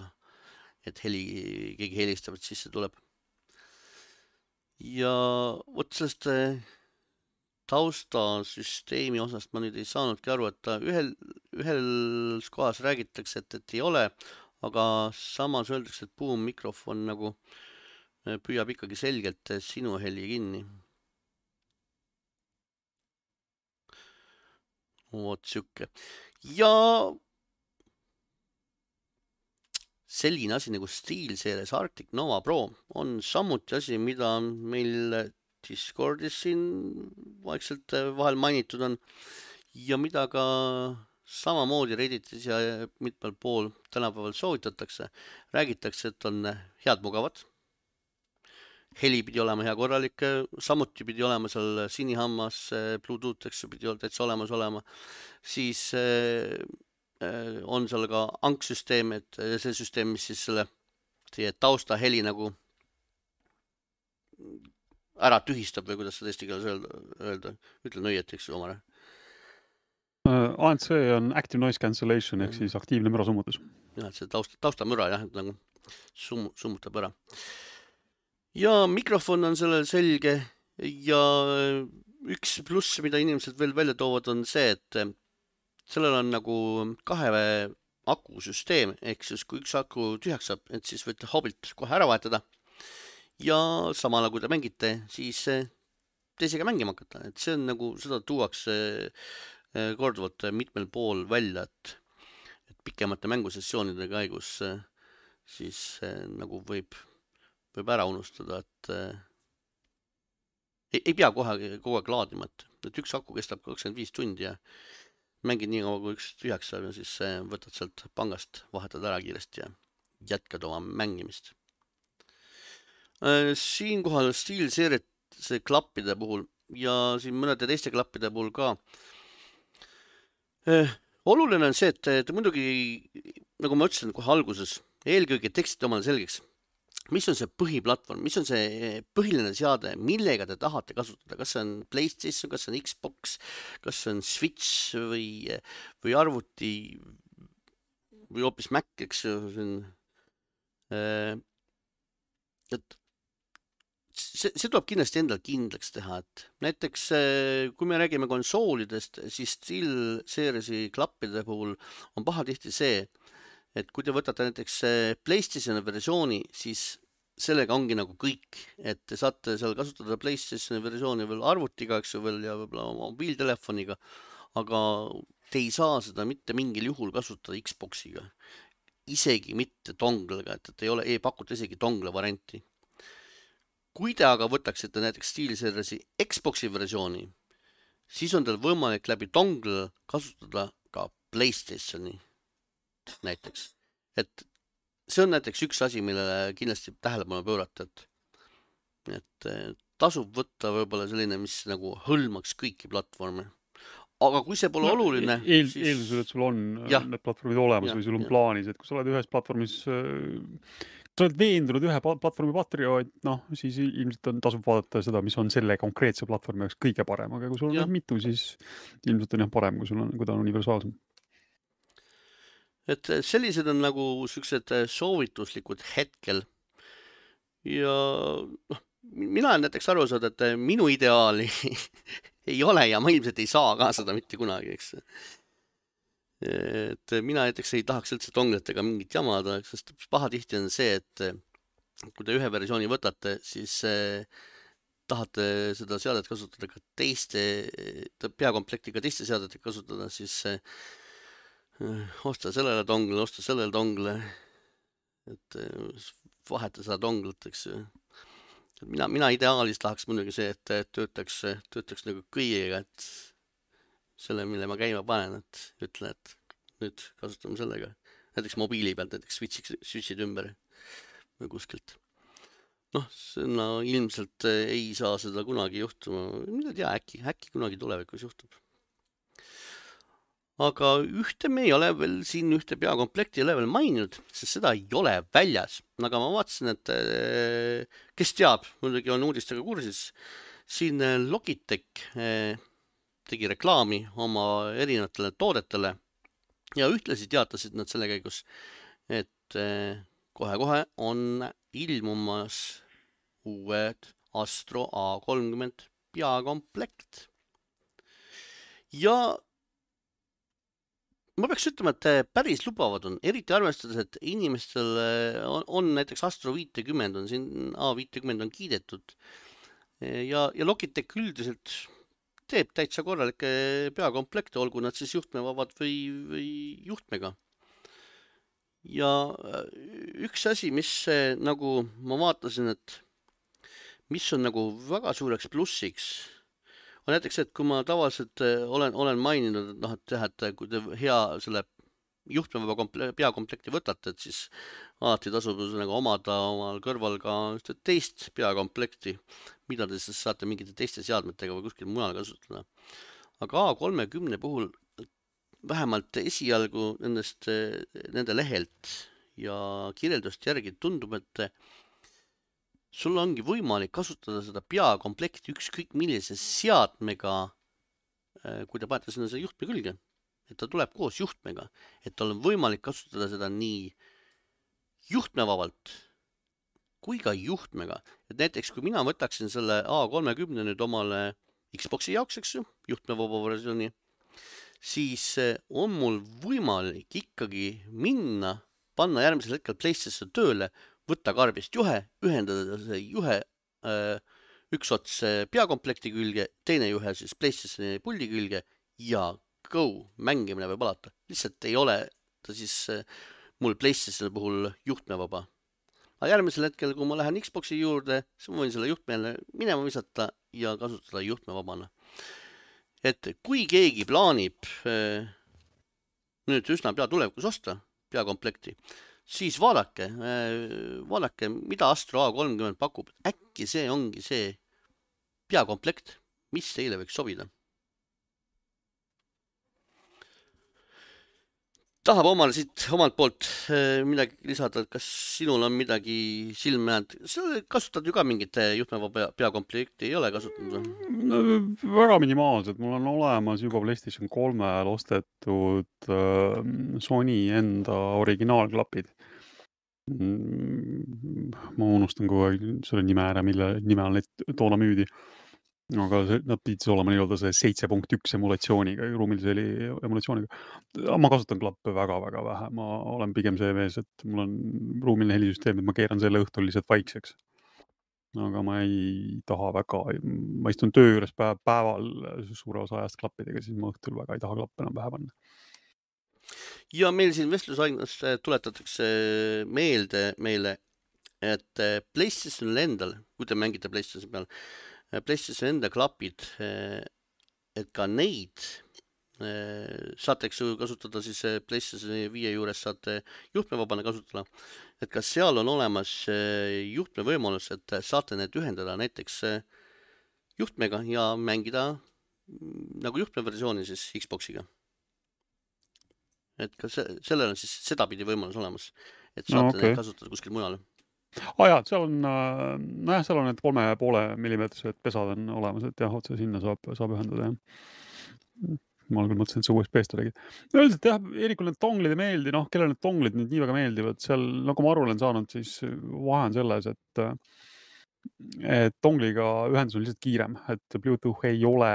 A: et heli, keegi helistab, et sisse tuleb. Ja võt sellest taustasüsteemi osast ma nüüd ei saanudki aru, et ta ühel, ühel kohas räägitakse, et, et ei ole, aga samas öeldakse, et boom mikrofon nagu püüab ikkagi selgelt sinu heli kinni. Vot siuke. Ja selline asi nagu SteelSeries Arctic Nova Pro on samuti asi, mida meil Discordis siin vaikselt vahel mainitud on ja mida ka samamoodi Redditis ja mitmel pool tänapäeval soovitatakse. Räägitakse, et on head mugavad. Heli pidi olema hea korralik, samuti pidi olema seal sinihammas, Bluetooth, eks pidi täitsa olemas olema. Siis on seal ka anksüsteem, et see süsteem, mis siis selle teie tausta heli nagu ära tühistab või kuidas seda eesti keeles öelda, öelda. Ütlen õieti, eks omale.
B: A N C on Active Noise Cancellation ehk siis aktiivne müra summutus.
A: Jah, see tausta, tausta müra jah, nagu sum, summutab ära. Ja mikrofon on sellel selge ja üks pluss, mida inimesed veel välja toovad, on see, et sellel on nagu kahe akusüsteem, ehk siis kui üks aku tühjaks saab, et siis võite hobilt kohe ära vahetada ja samala kui te mängite, siis teisega mängima hakata, et see on nagu, seda tuuakse korduvalt mitmel pool välja, et, et pikemate mängusessioonide käigus siis nagu võib, võib ära unustada, et ei, ei pea kohe kogu aeg laadima, et, et üks aku kestab kakskümmend viis tundi ja mängid nii kaua, kui üks tühjaks saab ja siis võtad sealt pangast, vahetad ära kiiresti ja jätkad oma mängimist. Siinkohal SteelSeries klappide puhul ja siin mõnede teiste klappide puhul ka eh, oluline on see, et te muidugi, nagu ma ütlesin kohe alguses, eelkõige tekstit omale selgeks, mis on see põhiplatvorm, mis on see põhiline seade, millega te tahate kasutada, kas see on PlayStation, kas see on Xbox, kas see on Switch või, või arvuti või hoopis Mac, eks see, et see, see tuleb kindlasti endal kindlaks teha, et näiteks kui me räägime konsoolidest, siis SteelSeriesi klappide puhul on pahatihti see, et kui te võtate näiteks PlayStationi versiooni, siis sellega ongi nagu kõik, et te saate seal kasutada PlayStationi versiooni veel arvutiga, eks ju veel ja võib-olla mobiiltelefoniga, aga te ei saa seda mitte mingil juhul kasutada Xboxiga, isegi mitte donglega, et, et ei ole, ei pakuta isegi dongle varianti. Kui te aga võtaksite näiteks SteelSeriesi Xboxi versiooni, siis on teil võimalik läbi dongle kasutada ka PlayStationi näiteks, et see on näiteks üks asi, millele kindlasti tähelepanu pöörata, et, et tasub võtta võib-olla selline, mis nagu hõlmaks kõiki platvorme. Aga kui see pole no, oluline...
B: Eel, siis... Eeldusel, et sul on ja. Need platvormid olemas ja, või sul on ja. Plaanis, et kui sa oled ühes platvormis, kui sa oled veendunud ühe platvormi patrioot, noh, siis ilmselt on, tasub vaadata seda, mis on selle konkreetse platvormi jaoks kõige parem, aga kui sul on mitu, siis ilmselt on jah parem, kui sul on, kui ta on universaalsem.
A: Et sellised on nagu sellised soovituslikud hetkel ja noh, mina olen näiteks aru saada, et minu ideaali ei ole ja ma ilmselt ei saa ka seda mitte kunagi, eks. Et mina näiteks ei tahaks üldse dongletega mingit jamada, sest pahatihti on see, et kui te ühe versiooni võtate, siis tahate seda seadet kasutada ka teiste, peakomplektiga teiste seadetega kasutada, siis osta sellele dongle, osta sellele dongle, et vaheta seda donglet, eks. Mina, mina ideaalis tahaks muidugi see, et töötaks, töötaks nagu kõigega, et selle, mille ma käima panen, et ütlen, et nüüd kasutame sellega. Näiteks mobiili pealt, näiteks switchid, switchid ümber või kuskilt. Noh, no, ilmselt ei saa seda kunagi juhtuma. Mida tea, äkki, äkki kunagi tulevikus juhtub. Aga ühte me ei ole veel siin ühte peakomplekti ei ole veel maininud, sest seda ei ole väljas. Aga ma vaatasin, et kes teab, muidugi on uudistega kursis, siin Logitech tegi reklaami oma erinevatele toodetele ja ühtlasi teatasid nad selle käigus, et kohe-kohe on ilmumas uued Astro A kolmkümmend peakomplekt. Ja ma peaks ütlema, et päris lubavad on, eriti arvestades, et inimestel on, on näiteks Astro viiskümmend on siin, A viiskümmend on kiidetud ja, ja Logitech üldiselt teeb täitsa korralikke peakomplekte, olgu nad siis juhtmevabad või, või juhtmega. Ja üks asi, mis nagu ma vaatasin, et mis on nagu väga suureks plussiks, on näiteks, et kui ma tavaliselt olen, olen maininud, et noh, et jah, et kui te hea selle juhtmevaba komple- peakomplekti võtate, et siis alati tasub nagu omada omal kõrval ka teist peakomplekti, mida te siis saate mingite teiste seadmetega või kuskil mujal kasutada. Aga A kolmekümne puhul vähemalt esialgu nendest, nende lehelt ja kirjeldust järgi tundub, et sul ongi võimalik kasutada seda peakomplekti ükskõik millise seadmega, kui te panete sinna see juhtme külge, et ta tuleb koos juhtmega, et tal on võimalik kasutada seda nii juhtmevabalt kui ka juhtmega. Et näiteks kui mina võtaksin selle A kolmekümne nüüd omale Xboxi jaoks, eks ju, juhtmevaba versiooni, siis on mul võimalik ikkagi minna, panna järgmisel hetkel PlayStation tööle, võtta karbist juhe, ühendada see juhe äh, üks ots peakomplekti külge, teine juhe siis PlayStationi puldi külge ja go, mängimine võib alata. Lihtsalt ei ole ta siis äh, mul PlayStationi puhul juhtmevaba. Aga järgmisel hetkel, kui ma lähen Xboxi juurde, siis ma võin selle juhtmeele minema visata ja kasutada juhtmevabana. Et kui keegi plaanib äh, nüüd üsna pea tulevikus osta peakomplekti, siis vaadake, vaadake, mida Astro A kolmkümmend pakub. Äkki see ongi see peakomplekt, mis teile võiks sobida. Tahab omale siit omalt poolt midagi lisada, kas sinul on midagi silme jäänud? Sa kasutad ju ka mingit juhtmevaba peakomplekti, ei ole kasutanud?
B: No, väga minimaalselt. Mul on olemas juba PlayStation kolmel ostetud äh, Sony enda originaalklapid. Ma unustan kogu aeg selle nime ära, mille nime on neid toona müüdi. Aga see, nad pidid olema nii-öelda see seitse punkt üks emulatsiooniga, ruumilise emulatsiooniga. Ma kasutan klappe väga-väga vähe. Ma olen pigem see mees, et mul on ruumiline helisüsteem, et ma keeran selle õhtul lihtsalt vaikseks. Aga ma ei taha väga, ma istun töö juures päev, päeval suure osa ajast klappidega, siis ma õhtul väga ei taha klappe enam pähe panna.
A: Ja meil siin vestlusainas tuletatakse meelde meile, et PlayStationil endal, kui te mängite PlayStation peal, PlayStation enda klapid, et ka neid saate kasutada siis PlayStation viie juures saate juhtmevabana kasutada, et kas seal on olemas juhtme võimalus, et saate need ühendada näiteks juhtmega ja mängida nagu juhtmeversiooni siis Xboxiga. Et ka sellel on siis sedapidi võimalus olemas, et saate no, okay. neid kasutada kuskil mujal.
B: Ah jah, seal on, nojah, seal on need kolme ja poole millimeetrised pesad on olemas, et jah, otse sinna saab, saab ühendada, jah. Ma küll mõtlesin, et see U S B-st olegi. Üldiselt jah, Eerikul need tonglid ei meeldi, noh, kellel need tonglid nüüd nii väga meeldivad, seal, nagu ma aru olen saanud, siis vahe on selles, et, et tongliga ühendus on lihtsalt kiirem, et Bluetooth ei ole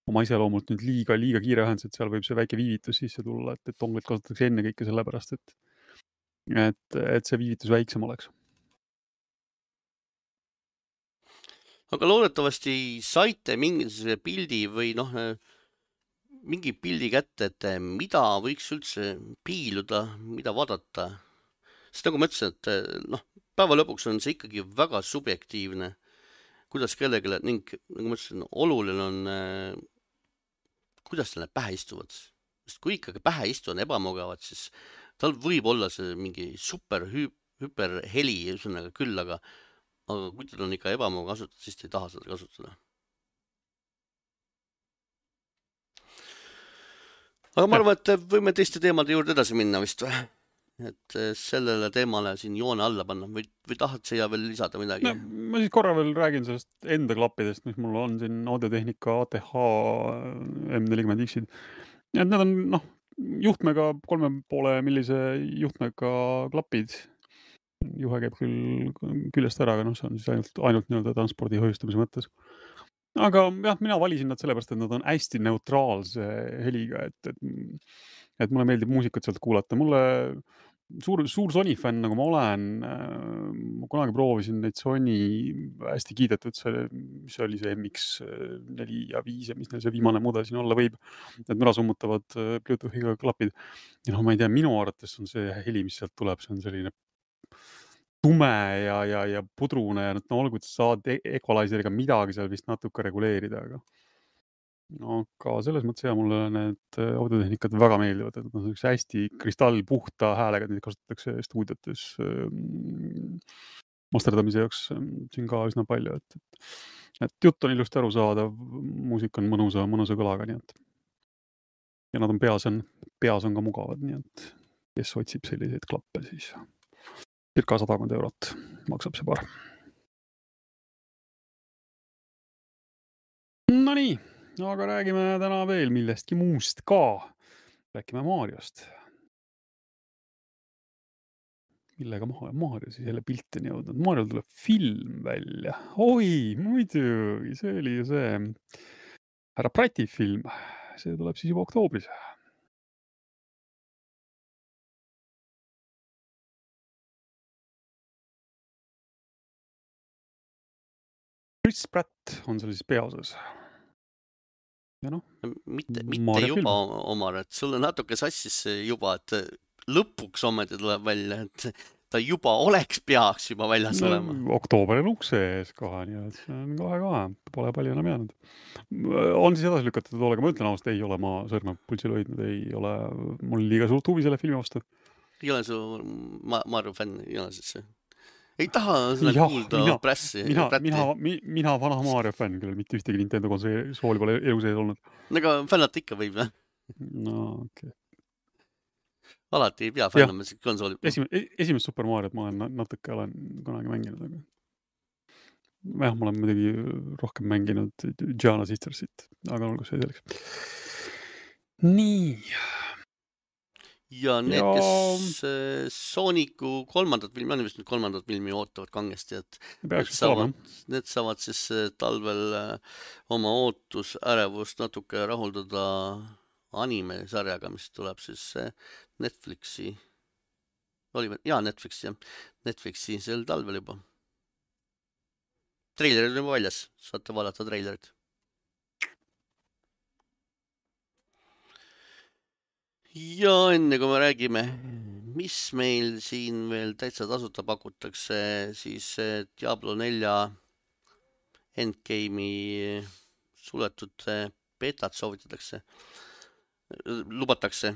B: oma iseloomult nüüd liiga, liiga kiire ühendus, et seal võib see väike viivitus sisse tulla, et, et tonglid kasutatakse enne kõike sellepärast, et, et, et see viivitus väiksem oleks.
A: Aga loodetavasti saite mingisuguse pildi või noh, mingi pildi kätte, et mida võiks üldse piiluda, mida vaadata. Sest nagu ma ütlesin, et noh, päeva lõpuks on see ikkagi väga subjektiivne, kuidas kellegele, ning nagu ma ütlesin, oluline on, kuidas tal need pähe istuvad. Sest kui ikkagi pähe istuvad ebamugavad, siis tal võib olla see mingi super hüper heli üsnaga küll, aga aga kui tal on ikka ebamugav kasutada, siis ta ei taha seda kasutada. Aga ma arvan, et võime teiste teemade juurde edasi minna vist või? Et sellele teemale siin joone alla panna või, või tahad siia veel lisada midagi?
B: No, ma siis korra veel räägin sellest enda klappidest, mis mul on siin Audiotehnika A T H M nelikümmend X-id. Et need on noh, juhtmega, kolme poole millise juhtmega klapid. Juhe käib küll küljest ära, aga noh, see on siis ainult, ainult nii-öelda transpordi hoiustamise mõttes. Aga jah, mina valisin nad sellepärast, et nad on hästi neutraalse heliga, et, et et mulle meeldib muusikat sealt kuulata. Mulle suur, suur Sony fänn, nagu ma olen, ma kunagi proovisin neid Sony hästi kiidetud, see, mis oli see M X neli ja viis ja mis neil see viimane mudel siin olla võib, et müra summutavad Bluetoothiga klapid. Ja noh, ma ei tea, minu arvates on see heli, mis sealt tuleb, see on selline tume ja, ja, ja pudrune ja no olgu, et saad equalizeriga midagi seal vist natuke reguleerida, aga aga selles mõttes ja mulle need audiotehnikad väga meeldivad, et nad on hästi kristallpuhta häälega, neid kasutatakse stuudiotes masterdamise jaoks siin ka üsna palju, et, et, et jutt on ilusti aru saadav, muusika on mõnusa, mõnusa kõlaga, nii et ja nad on peas on, peas on ka mugavad, nii et kes otsib selliseid klappe, siis circa sadakond eurot maksab see paar. No nii. Aga räägime täna veel millestki muust ka. Räägime Mariost. Millega Mario siis jälle pilti on jõudnud? Mariol tuleb film välja. Oi, muidugi, see oli ju see härra Prati film. See tuleb siis juba oktoobris. Chris Pratt on seal siis peaosas. Ja noh,
A: mitte, mitte juba film. Omar, et sulle natuke sassis juba, et lõpuks ometi tuleb välja, et ta juba oleks peaks juba väljas no, olema.
B: Oktoober on ukse ees kohe, nii et see on kohe-kohe, pole palju enam jäänud. On siis edasi lükatud toolega, ma ütlen ausalt, ei ole ma sõrme pulsil hoidnud, ei ole, mul liiga suurt huvi selle filmi vastu.
A: Ei ole su ma Mario fänn, ei ole siis see? Ei taha seda ja, kuulda mina, pressi.
B: Mina, mina, mina vana Mario fänn, küll mitte ühtegi Nintendo konsooli pole elu sees olnud.
A: Aga fännata ikka võib, jah?
B: No, okei. Okay.
A: Alati ei pea fännama see konsooli.
B: Esimene, esimest Super Mariot ma olen natuke olen kunagi mänginud, aga jah, ma olen muidugi rohkem mänginud Giana Sistersit, aga olgu see selleks. Nii.
A: Ja need, ja... kes Sooniku kolmandat filmi, on vist nüüd kolmandat filmi ootavad kangesti, et need saavad, need saavad siis talvel oma ootus, ärevust natuke rahuldada anime-sarjaga, mis tuleb siis Netflixi, oli, jaa, Netflixi, jah, Netflixi sel talvel juba. Treilerid on juba väljas, saate vaadata treilerid. Ja enne kui me räägime, mis meil siin veel täitsa tasuta pakutakse, siis Diablo nelja endgame'i suletud betat soovitatakse, lubatakse.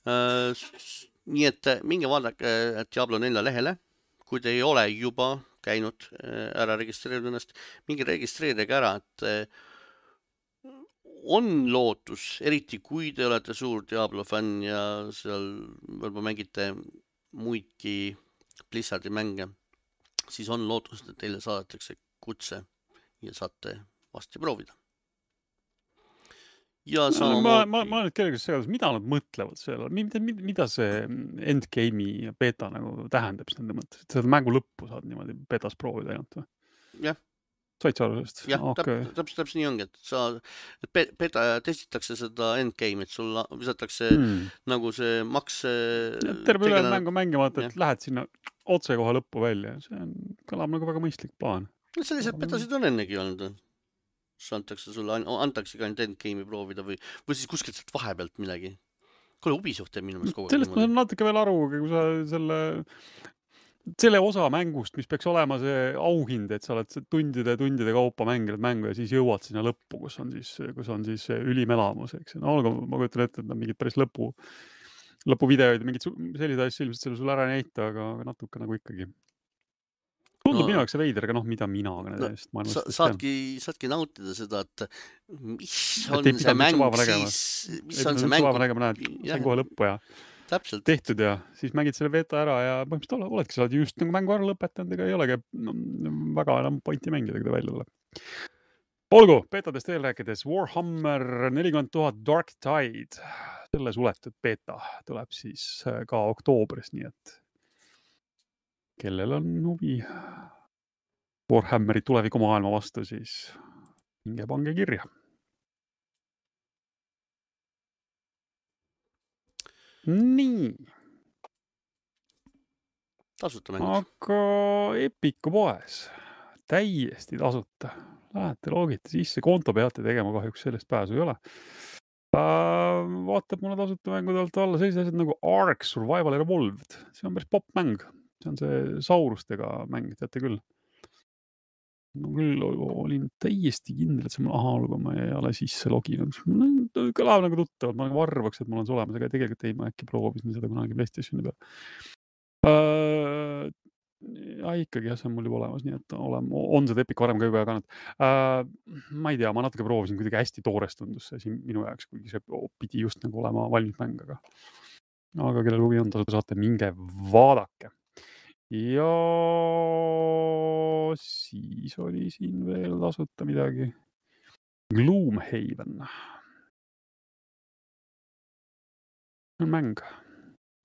A: Nii et minge vaadake Diablo nelja lehele, kui te ei ole juba käinud ära registreerinud ennast, minge registreerige ära, et on lootus, eriti kui te olete suur Diablo fänn ja seal võib-olla mängite muidki Blizzardi mänge, siis on lootus, et teile saadetakse kutse ja saate vasti proovida. Ja
B: sama ma, ma, ma olen nüüd kellegi segadus, mida nad mõtlevad selle, mida, mida see endgame'i ja beta nagu tähendab siis nende mõttes, et seda mängu lõppu saad niimoodi betas proovida ainult või?
A: Jah.
B: Said sa aru sellest?
A: Jah, okay. täpselt täp, täp, nii ongi, et sa beta testitakse seda endgame'it, sul visatakse hmm. nagu see maks...
B: Terve üle mängu mängimata, et ja. Lähed sinna otse kohe lõppu välja. See on, kõlab nagu väga mõistlik plaan.
A: Sellised betasid on ennegi olnud. Antakse sulle, antakse ka ainult endgame'i proovida või, või siis kuskilt sealt vahepealt midagi. Kuule, Ubisoft teeb minu meelest kogu aeg.
B: Sellest ma saan natuke veel aru, kui sa selle... selle osa mängust, mis peaks olema see auhind, et sa oled tundide ja tundide kaupa mänginud mängu ja siis jõuad sinna lõppu, kus on siis, kus on siis ülimelamus, eks. No, aga ma kujutan ette, et on mingid päris lõpu, lõpuvideoid ja mingid sellised asjad ilmselt selle sulle ära näita, aga natuke nagu ikkagi. Tundub no, minu jaoks see veider, aga noh, mida mina aga
A: no, sa, saadki, saadki nautida seda, et mis on et see mäng siis, mis on see mäng.
B: See on kohe lõppu ja
A: Täpselt.
B: tehtud ja siis mängid selle beta ära ja põhimõtteliselt oledki, sa oled just nagu mängu ära lõpetanud, ega ei olegi no, väga enam pointi mängida, kui ta välja tuleb. Olgu, betadest veel rääkides, Warhammer nelikümmend tuhat Dark Tide, selle suletud beta tuleb siis ka oktoobris, nii et kellel on huvi Warhammeri tuleviku maailma vastu, siis minge pange kirja. nii.
A: Tasuta mängud.
B: Aga Epiku poes täiesti tasuta. Lähete loogite sisse, konto peate tegema, kahjuks sellest pääsu ei ole. Vaatab mulle tasuta mängude alt alla sellised asjad nagu Ark Survival Evolved. See on päris popp mäng. See on see saurustega mäng, teate küll. Ma küll olin täiesti kindel, et see mul aha, aga ma ei ole sisse loginud. Kõlab nagu tuttavalt, ma nagu arvaks, et mul on see olemas, aga tegelikult ei, ma äkki proovisin seda kunagi PlayStationi peal. Uh, ja ikkagi jah, see on mul juba olemas, nii et olen, on seda Epic varem ka juba jaganud. Uh, ma ei tea, ma natuke proovisin, kuidagi hästi toores tundus see siin minu jaoks, kuigi see pidi just nagu olema valmis mäng, aga, aga kellel huvi on, tasuta saate, minge vaadake. Ja siis oli siin veel tasuta midagi. Gloomhaven. On mäng,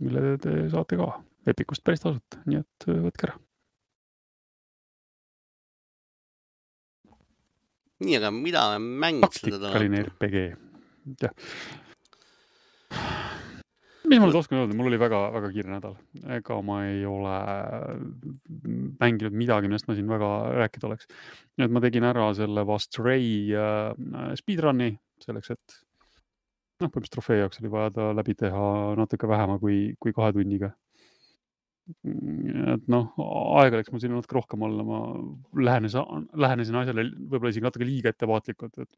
B: mille te saate ka Epicust päris tasuta, nii et võtke ära.
A: Nii, aga mida mängid seda täna?
B: Taktikaline R P G. Ja. Mis ma nüüd oskan öelda, mul oli väga, väga kiire nädal. Ega ma ei ole mänginud midagi, millest ma siin väga rääkida oleks. Nii et ma tegin ära selle Stray uh, speedrunni selleks, et noh, põhimõtteliselt trofee jaoks oli vaja ta läbi teha natuke vähema kui, kui kahe tunniga. Et noh, aega läks mul siin natuke rohkem olla, ma lähenesin, lähenesin asjale võib-olla isegi natuke liiga ettevaatlikult, et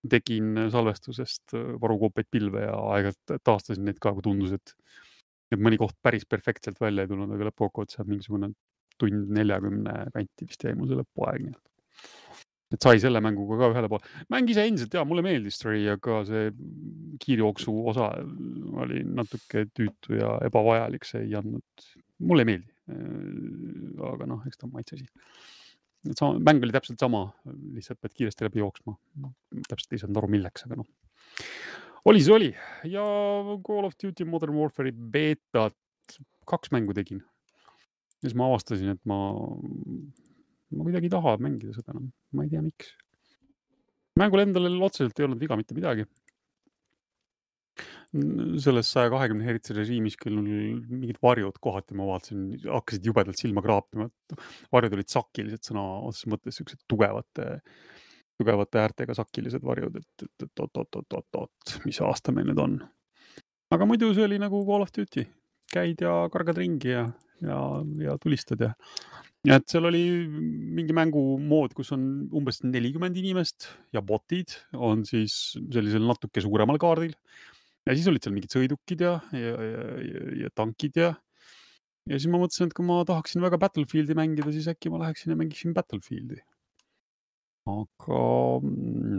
B: tegin salvestusest varukoopeid pilve ja aegalt taastasin neid ka, kui tundus, et, et mõni koht päris perfektselt välja ei tulnud, aga lõpukokkuvõttes saab mingisugune tund neljakümne kanti vist jäi mul see lõpuaeg. Et sai selle mänguga ka ühele poole. Mäng ise endiselt, jaa, mulle meeldis Stray, aga see kiirjooksu osa oli natuke tüütu ja ebavajalik, see ei andnud, mulle ei meeldi. Aga noh, eks ta on maitsesi. Et sama, mäng oli täpselt sama, lihtsalt pead kiiresti läbi jooksma. Täpselt ei saanud aru milleks, aga noh. Oli see oli. Ja Call of Duty Modern Warfare'i beetat kaks mängu tegin. Ja siis ma avastasin, et ma, ma kuidagi ei taha mängida seda enam. Ma ei tea, miks. Mängul endale otseselt ei olnud viga mitte midagi. Selles saja kahekümne hertsi režiimis küll mingid varjud kohati ma vaatasin, hakkasid jubedalt silma kraapima. Varjud olid sakilised sõna otses mõttes, sellised tugevate, tugevate äärtega sakilised varjud, et, et, et oot, oot, oot, oot, oot, mis aasta meil nüüd on. Aga muidu see oli nagu Call of Duty. Käid ja kargad ringi ja, ja, ja tulistad ja. Ja et seal oli mingi mängumood, kus on umbes nelikümmend inimest ja botid on siis sellisel natuke suuremal kaardil. Ja siis olid seal mingid sõidukid ja, ja, ja, ja tankid ja. Ja siis ma mõtlesin, et kui ma tahaksin väga Battlefieldi mängida, siis äkki ma läheksin ja mängiksin Battlefieldi. Aga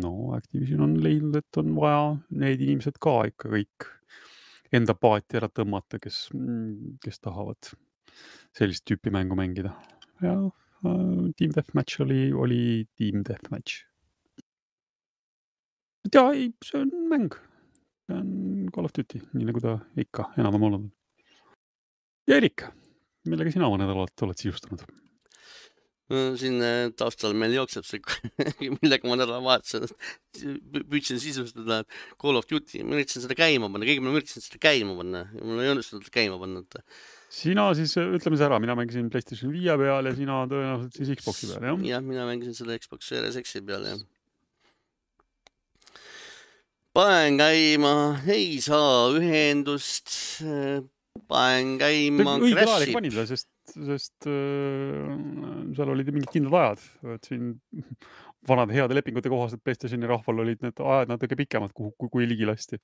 B: no, Activision on leidnud, et on vaja need inimesed ka ikka kõik enda paati ära tõmmata, kes, kes tahavad sellist tüüpi mängu mängida. Ja uh, Team Deathmatch oli, oli Team Deathmatch. Ja ei, see on mäng. See on Call of Duty, nii nagu ta ikka enam olnud. Ja Erik, millega sina oma nädalat oled sisustanud?
A: Siin taustal meil jookseb see, millega ma nädala vaatasin, püüdsin sisustada Call of Duty. Ma üritasin seda käima panna, keegi ma üritasin seda käima panna ja mul ei õnnestunud käima panna.
B: Sina siis, ütleme see ära, mina mängisin PlayStation viie peal ja sina tõenäoliselt siis Xboxi peal, jah?
A: Jah, mina mängisin seda Xbox Series X-i peal, jah. Paen käima, ei saa ühendust, paen käima,
B: õige ajalik panid, sest, sest äh, seal olid mingid kindlad ajad. Et siin vanade heade lepingute kohast, et PlayStationi rahval olid need ajad natuke pikemad, kui, kui, kui ligi lasti.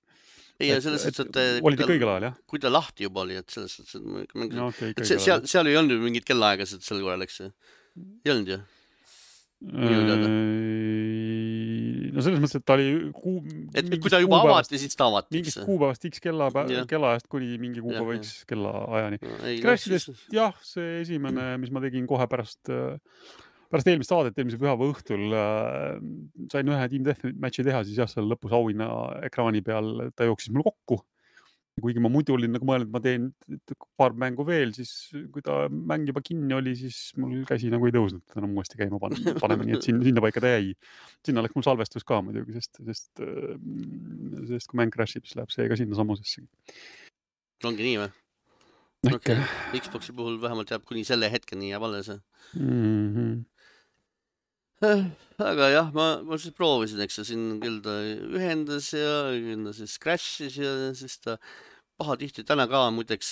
A: Ei, et, selles et, et, et
B: olid kõigel ajal, jah?
A: Kui ta lahti juba oli, et selles et, et, et,
B: no, okay,
A: et see, seal, seal ei olnud mingid kellaaegased sel korral, eks? Ei olnud ju?
B: No selles mõttes, et ta oli kuu,
A: et kui ta juba avati, siis ta avati.
B: Mingist kuupäevast X kella, kellaajast kuni mingi kuupäeva X kella ajani. Crashidest, jah, see esimene, mis ma tegin kohe pärast, pärast eelmist saadet, eelmise pühava õhtul sain ühe Team Deathmatchi teha, siis jah, seal lõpus auhinna ekraani peal ta jooksis mul kokku. Kuigi ma muidu olin nagu mõelnud, et ma teen paar mängu veel, siis kui ta mäng juba kinni oli, siis mul käsi nagu ei tõusnud, et enam uuesti käima panema, nii et sinna, sinna paika ta jäi. Sinna läks mul salvestus ka muidugi, sest, sest, sest kui mäng crashib, siis läheb see ka sinna samusesse.
A: ongi nii või?
B: Äkki.
A: Okay. Xboxi puhul vähemalt jääb kuni selle hetkeni jääb alles.
B: Mm -hmm.
A: Aga jah, ma, ma siis proovisin, eks siin küll ta ühendas ja küll ta siis crash'is ja siis ta paha tihti täna ka, muideks,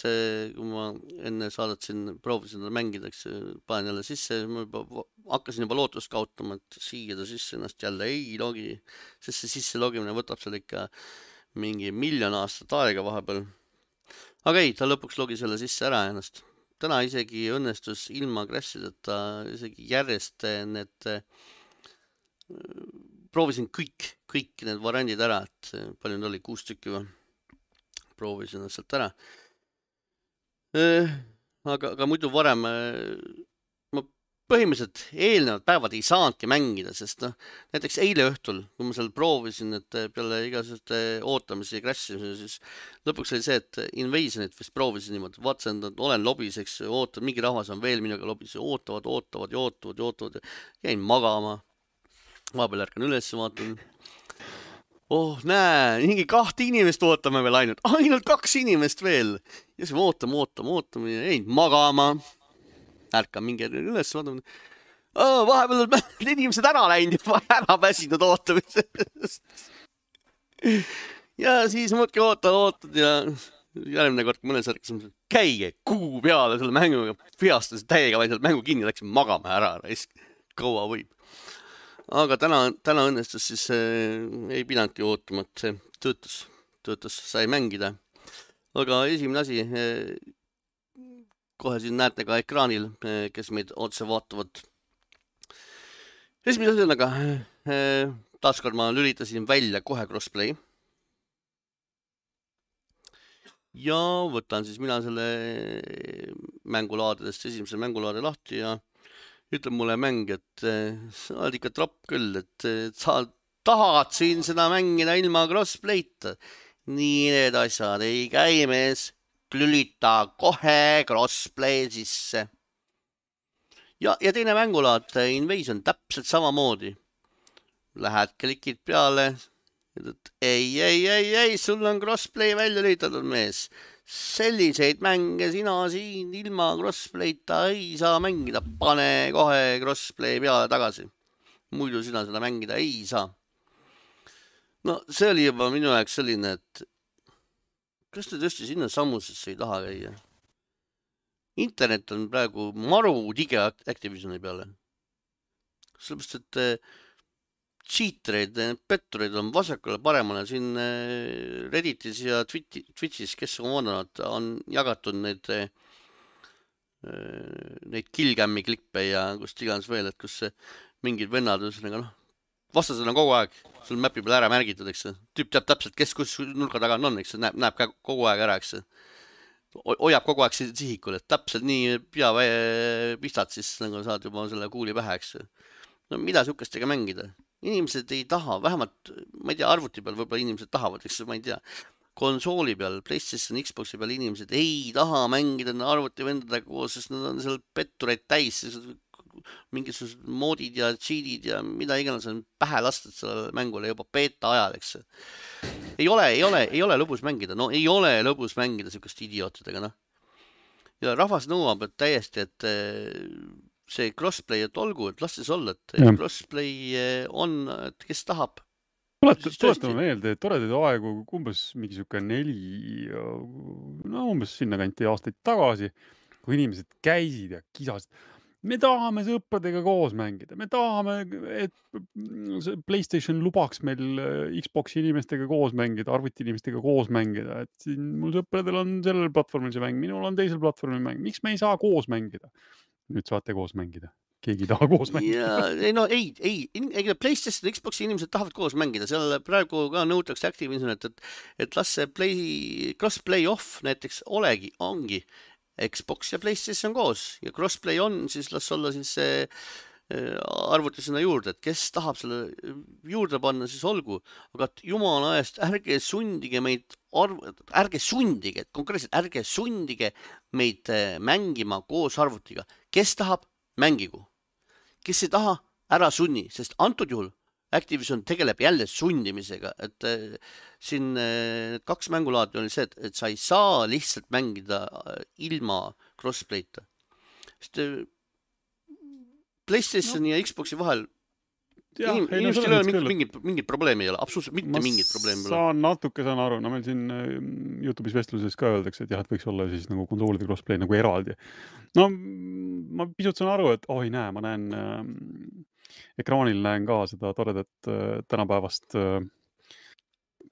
A: kui ma enne saadet siin proovisin ta mängida, eks panen jälle sisse, ma juba hakkasin juba lootust kaotama, et siia ta sisse ennast jälle ei logi, sest see sisse logimine võtab seal ikka mingi miljon aastat aega vahepeal. Aga ei, ta lõpuks logi selle sisse ära ennast. Täna isegi õnnestus ilma crashideta isegi järjest need, proovisin kõik, kõik need variandid ära, et palju need oli, kuus tükki või? Proovisin nad sealt ära. Aga, aga muidu varem ma põhimõtteliselt eelnevad päevad ei saanudki mängida, sest noh, näiteks eile õhtul, kui ma seal proovisin, et peale igasuguste ootamisi ja crash'imisi, siis lõpuks oli see, et Invasionit vist proovisin niimoodi, vaatasin, et olen lobis, eks, ootan, mingi rahvas on veel minuga lobis, ootavad, ootavad ja ootavad ja ootavad ja jäin magama. Vahepeal ärkan üles, vaatan. Oh, näe, mingi kahte inimest ootame veel ainult, ainult kaks inimest veel. Ja siis ootame, ootame, ootame ja jäin magama. Ärkan mingi üles, vaatame. Oh, vahepeal on inimesed ära läinud ja ära väsinud ootamisest. Ja siis muudki ootad, ootad ja järgmine kord mõnes ärkas, käige kuu peale selle mänguga, viastas täiega vaid mängu kinni, läksin magama ära, kaua võib. Aga täna, täna õnnestus siis äh, ei pidanudki ootama, et see töötus, töötus sai mängida. Aga esimene asi, äh, kohe siin näete ka ekraanil, äh, kes meid otse vaatavad. Esimene asi on aga, äh, taaskord ma lülitasin välja kohe crossplay. Ja võtan siis mina selle mängulaadedest esimese mängulaade lahti ja ütleb mulle mäng, et sa oled ikka tropp küll, et sa tahad siin seda mängida ilma crossplay'ta. Nii need asjad ei käi, mees. Lülita kohe crossplay sisse. Ja, ja teine mängulaad, Invasion, täpselt samamoodi. Lähed, klikid peale. Et ei, ei, ei, ei, sul on crossplay välja lülitatud, mees. Selliseid mänge sina siin ilma crossplay'ta ei saa mängida. Pane kohe crossplay peale tagasi. Muidu sina seda mängida ei saa. No see oli juba minu jaoks selline, et kas te tõesti sinna sammusesse ei taha käia? Internet on praegu maru tige Activisioni peale. Sellepärast, et cheatereid, pettureid on vasakule paremale. Siin Redditis ja Twitchis, kes on vaadanud, on jagatud neid, neid killcam'i klippe ja kust iganes veel, et kus mingid vennad, noh, vastased on kogu aeg sul mäpi peal ära märgitud, eks. Tüüp teab täpselt, kes kus nurka taga on, eks. Näeb, näeb kogu aeg ära, eks. Hoiab kogu aeg sihikul, et täpselt nii pea pistad, siis nagu saad juba selle kuuli pähe, eks. No mida sihukestega mängida? Inimesed ei taha, vähemalt, ma ei tea, arvuti peal võib-olla inimesed tahavad, eks ma ei tea. Konsooli peal, PlayStation, Xboxi peal inimesed ei taha mängida arvuti vendadega koos, sest nad on seal pettureid täis, mingisugused moodid ja cheatid ja mida iganes on pähe lastud sellele mängule juba beta ajal, eks. Ei ole, ei ole, ei ole lõbus mängida, no ei ole lõbus mängida sihukest idiootidega, noh. Ja rahvas nõuab, et täiesti, et see crossplay, et olgu, et las siis olla, et ja. Crossplay on, et kes tahab.
B: Tuletame meelde, et toredaid aegu umbes mingi sihuke neli, no umbes sinna kanti aastaid tagasi, kui inimesed käisid ja kisasid. Me tahame sõpradega koos mängida, me tahame, et PlayStation lubaks meil Xboxi inimestega koos mängida, arvuti inimestega koos mängida, et siin mul sõpradel on sellel platvormil see mäng, minul on teisel platvormil mäng, miks me ei saa koos mängida? Nüüd saate koos mängida. Keegi taha koos mängida.
A: Ja, ei, no ei, ei, ei, PlayStation ja Xboxi inimesed tahavad koos mängida, seal praegu ka nõutakse Activision, et, et, et las see play, crossplay off näiteks olegi, ongi Xbox ja PlayStation koos ja crossplay on, siis las olla siis see arvuti sinna juurde, et kes tahab selle juurde panna, siis olgu, aga jumala eest ärge sundige meid, arv... ärge sundige, konkreetselt ärge sundige meid mängima koos arvutiga. Kes tahab, mängigu. Kes ei taha, ära sunni, sest antud juhul Activision tegeleb jälle sundimisega, et äh, siin äh, kaks mängulaadi oli see, et, et sa ei saa lihtsalt mängida äh, ilma crossplay'ta. Sest äh, PlayStationi no. ja Xboxi vahel
B: jah,
A: Inim,
B: ei, no
A: inimestel ei ole
B: küll,
A: mingit, mingit, mingit probleemi ei ole, absoluutselt mitte
B: ma
A: mingit probleemi ei ole.
B: saan natuke saan aru, no meil siin YouTube'is vestluses ka öeldakse, et jah, et võiks olla siis nagu konsoolide crossplay nagu eraldi. No ma pisut saan aru, et oi näe, ma näen äh, ekraanil näen ka seda toredat äh, tänapäevast äh,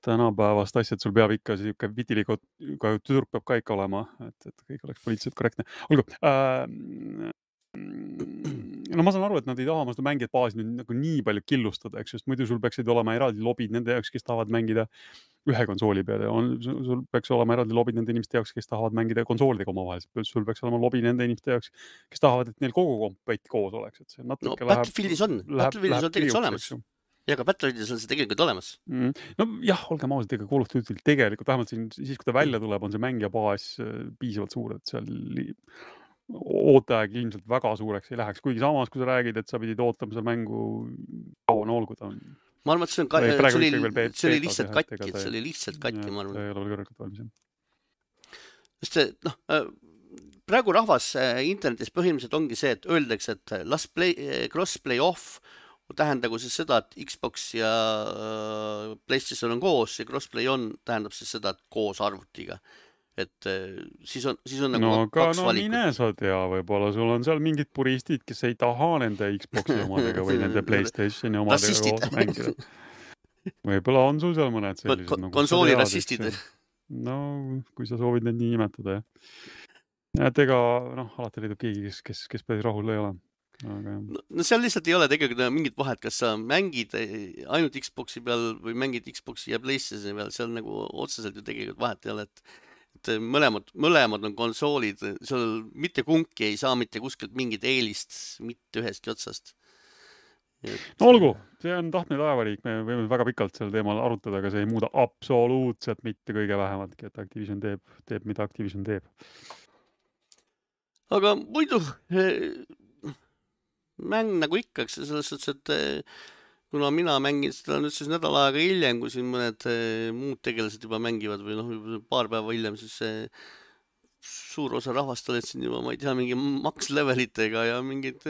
B: tänapäevast asja, et sul peab ikka siuke vitiliga tüdruk peab ka ikka olema, et, et kõik oleks poliitiliselt korrektne. Olgu, äh, no ma saan aru, et nad ei taha seda mängijat baasi nüüd nagu nii palju killustada, eks just, muidu sul peaksid olema eraldi lobid nende jaoks, kes tahavad mängida ühe konsooli peale. On, sul peaks olema eraldi lobid nende inimeste jaoks, kes tahavad mängida konsoolidega omavahel. Sul peaks olema lobi nende inimeste jaoks, kes tahavad, et neil kogu kompett koos oleks. Et see
A: no Battlefieldis on, Battlefieldis on tegelikult olemas. Ja ka Battlefieldis on see tegelikult olemas.
B: Mm. No jah, olgem ausalt, ega Call of Duty tegelikult, vähemalt siin, siis kui ta välja tuleb, on see mängija baas piisavalt suur, et seal ooteaeg ilmselt väga suureks ei läheks, kuigi samas, kui sa räägid, et sa pidid ootama seda mängu kaua nool, kui ta on.
A: Ma arvan, et see, on ka, see, oli, see oli lihtsalt katki, et see oli lihtsalt katki, ma arvan.
B: See ei ole kõrgelt valmis.
A: Sest noh, praegu rahvas internetis põhimõtteliselt ongi see, et öeldakse, et las play, crossplay off tähendagu siis seda, et Xbox ja PlayStation on koos ja crossplay on tähendab siis seda, et koos arvutiga. Et siis on, siis on nagu
B: no,
A: kaks
B: no, valikut. No mine sa tea, võib-olla sul on seal mingid puristid, kes ei taha nende Xboxi omadega või nende PlayStationi omadega koos mängida. Võib-olla on sul seal mõned sellised.
A: Kon nagu konsooli rassistid.
B: No, kui sa soovid neid nii nimetada, jah. Et ega, noh, alati leidub keegi, kes, kes, kes päris rahul ei ole. Aga...
A: No, no seal lihtsalt ei ole tegelikult mingit vahet, kas sa mängid ainult Xboxi peal või mängid Xboxi ja PlayStationi peal, seal nagu otseselt ju tegelikult vahet ei ole, et et mõlemad, mõlemad on konsoolid, seal mitte kumbki ei saa mitte kuskilt mingit eelist, mitte ühestki otsast.
B: Et... No olgu, see on tahtne taevariik, me võime väga pikalt sel teemal arutada, aga see ei muuda absoluutselt mitte kõige vähematki, et Activision teeb, teeb mida Activision teeb.
A: Aga muidu mäng nagu ikka, selles suhtes, et kuna mina mängin seda nüüd siis nädal aega hiljem, kui siin mõned muud tegelased juba mängivad või noh, paar päeva hiljem, siis see suur osa rahvast olid siin juba, ma ei tea, mingi max levelitega ja mingid,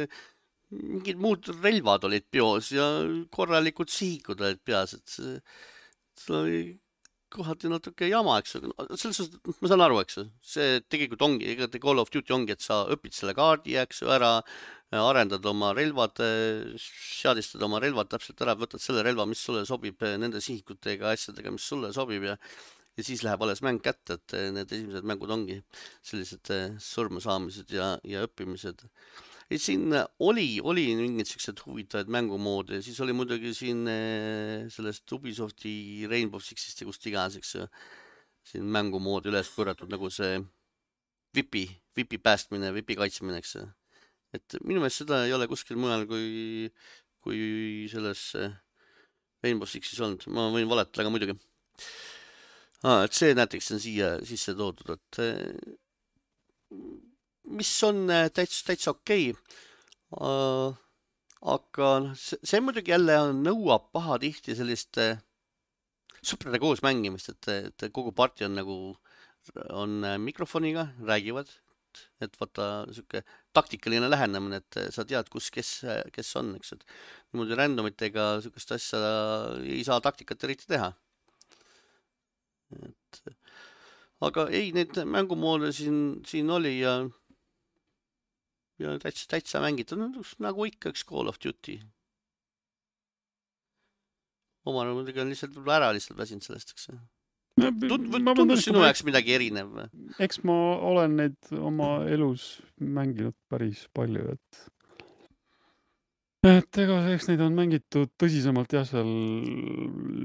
A: mingid muud relvad olid peos ja korralikud sihikud olid peas, et see, see oli kohati natuke jama, eks. Selles suhtes, ma saan aru, eks. See tegelikult ongi, ega te Call of Duty ongi, et sa õpid selle kaardi, eks, ära arendad oma relvad, seadistad oma relvad täpselt ära, võtad selle relva, mis sulle sobib nende sihikutega, asjadega, mis sulle sobib ja, ja siis läheb alles mäng kätte, et need esimesed mängud ongi sellised surma saamised ja, ja õppimised. Et siin oli, oli mingid sellised huvitavad mängumoodi, siis oli muidugi siin sellest Ubisofti Rainbow Sixist ja kust iganes, eks siin mängumoodi üles korratud nagu see vipi, vipi päästmine, vipi kaitsmine, eks. Et minu meelest seda ei ole kuskil mujal kui, kui selles Rainbow Sixis olnud. Ma võin valetada, aga muidugi. Ah, et see näiteks on siia sisse toodud, et mis on täitsa, täitsa okei. Uh, aga see, see muidugi jälle nõuab paha tihti sellist uh, sõprade koos mängimist, et, et kogu parti on nagu on mikrofoniga, räägivad, et vaata siuke taktikaline lähenemine, et sa tead, kus kes, kes on, eks, et niimoodi randomitega siukest asja ei saa taktikat eriti teha. Et, aga ei, need mängumoode siin, siin oli ja ja täitsa, täitsa mängida, nagu ikka üks Call of Duty. Oma muidugi on lihtsalt ära lihtsalt väsinud sellest, eks. Tundus sinu jaoks midagi erinev?
B: Eks ma olen neid oma elus mänginud päris palju, et et ega eks neid on mängitud tõsisemalt jah, seal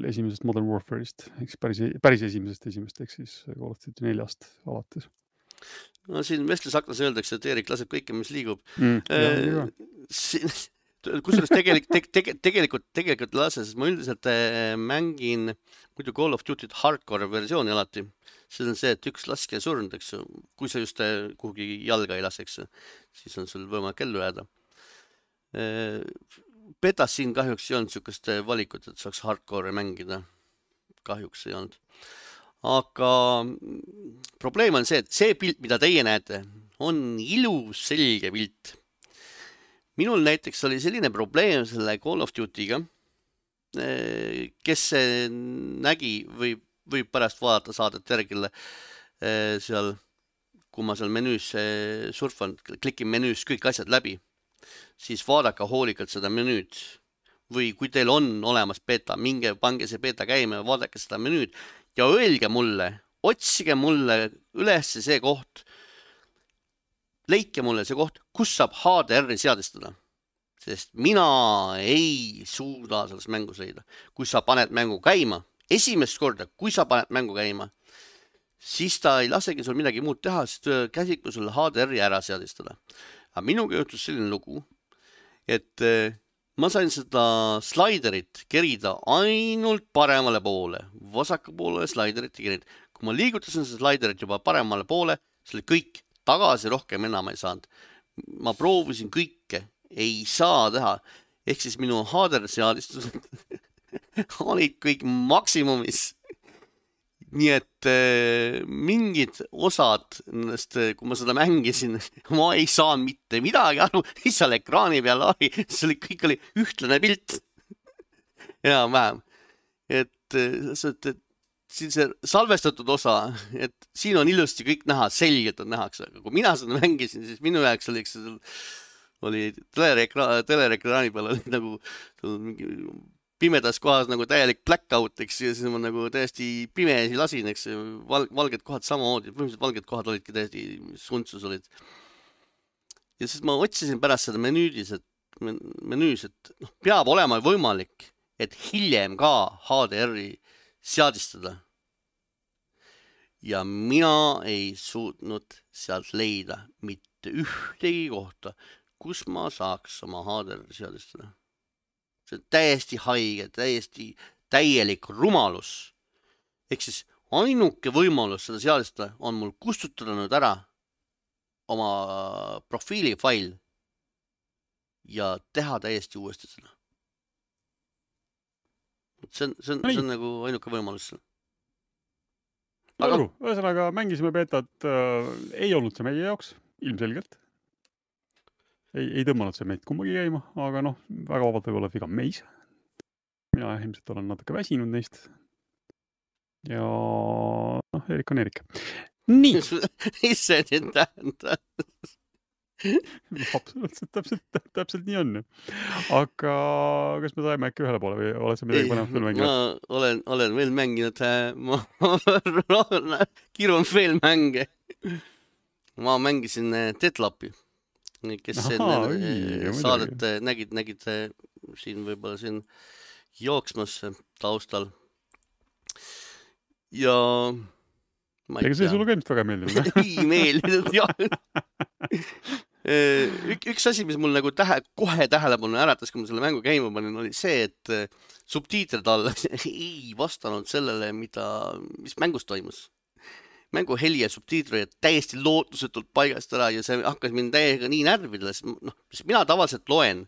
B: esimesest Modern Warfare'ist, eks päris, päris esimesest esimest, eks siis Call of Duty neljast alates.
A: No siin vestlusaknas öeldakse, et Erik laseb kõike, mis liigub.
B: Mm, jah,
A: siin, kusjuures tegelik, te, te, tegelikult, tegelikult lase, sest ma üldiselt mängin muidu Call of Duty hardcore versiooni alati. See on see, et üks laske surnud, eks, kui sa just kuhugi jalga ei lase, eks, siis on sul võimalik ellu jääda. betas siin kahjuks ei olnud sihukest valikut, et saaks hardcore mängida. Kahjuks ei olnud. Aga probleem on see, et see pilt, mida teie näete, on ilus selge pilt. Minul näiteks oli selline probleem selle Call of Duty'ga, kes nägi või võib pärast vaadata saadet järgile seal, kui ma seal menüüs surfan, klikin menüüs kõik asjad läbi, siis vaadake hoolikalt seda menüüd. Või kui teil on olemas beta, minge pange see beta käima ja vaadake seda menüüd ja öelge mulle, otsige mulle üles see koht, leike mulle see koht, kus saab H D R-i seadistada. Sest mina ei suuda selles mängus leida. Kui sa paned mängu käima, esimest korda, kui sa paned mängu käima, siis ta ei lasegi sul midagi muud teha, sest käsib sul H D R-i ära seadistada. Aga minuga juhtus selline lugu, et ma sain seda slaiderit kerida ainult paremale poole, vasaku poole slaiderit kerida. Kui ma liigutasin seda slaiderit juba paremale poole, see oli kõik tagasi, rohkem enam ei saanud. Ma proovisin kõike, ei saa teha. Ehk siis minu H D R-seadistused olid kõik maksimumis. Nii et äh, mingid osad, kui ma seda mängisin, ma ei saanud mitte midagi aru, mis seal ekraani peal oli, see oli, kõik oli ühtlane pilt. Ja vähem. Et, et, et siin see salvestatud osa, et siin on ilusti kõik näha, selgelt on nähaks, aga kui mina seda mängisin, siis minu jaoks oli, oli telerekraani, telerekraani peal oli nagu mingi pimedas kohas nagu täielik blackout, eks, ja siis ma nagu täiesti pimesi lasin, eks, val, valged kohad samamoodi, põhimõtteliselt valged kohad olidki täiesti suntsus olid. Ja siis ma otsisin pärast seda menüüdis, et, menüüs, et noh, peab olema võimalik, et hiljem ka H D R-i seadistada. Ja mina ei suutnud sealt leida mitte ühtegi kohta, kus ma saaks oma H D R-i seadistada. See on täiesti haige, täiesti täielik rumalus. Ehk siis ainuke võimalus seda seadistada on mul kustutada nüüd ära oma profiili fail ja teha täiesti uuesti seda. See on, see on, see on nagu ainuke võimalus.
B: Aga... Ühesõnaga, mängisime betat, äh, ei olnud see meie jaoks, ilmselgelt. Ei, ei tõmmanud see meid kummagi käima, aga noh, väga vabalt võib olla viga meis. Mina ilmselt olen natuke väsinud neist. Ja noh, Erik on Erik. Nii!
A: Mis see nüüd tähendab?
B: Absoluutselt, täpselt, täpselt nii on. Aga kas me saime äkki ühele poole või oled sa midagi panevat veel mänginud?
A: Ma olen, olen veel mänginud, ma kirun veel mänge. Ma mängisin Deadloppi. Kes
B: Ahaa,
A: enne saadet nägid, nägid siin võib-olla siin jooksmas taustal. Ja ma
B: ei tea. Ega see sulle ka ilmselt väga meeldinud?
A: Ei meeldinud, jah. Ük, üks asi, mis mul nagu tähe, kohe tähelepanu äratas, kui ma selle mängu käima panin, oli see, et subtiitrid all ei vastanud sellele, mida, mis mängus toimus. Mängu heli ja subtiitri täiesti lootusetult paigast ära ja see hakkas mind täiega nii närvidele, sest noh, mina tavaliselt loen,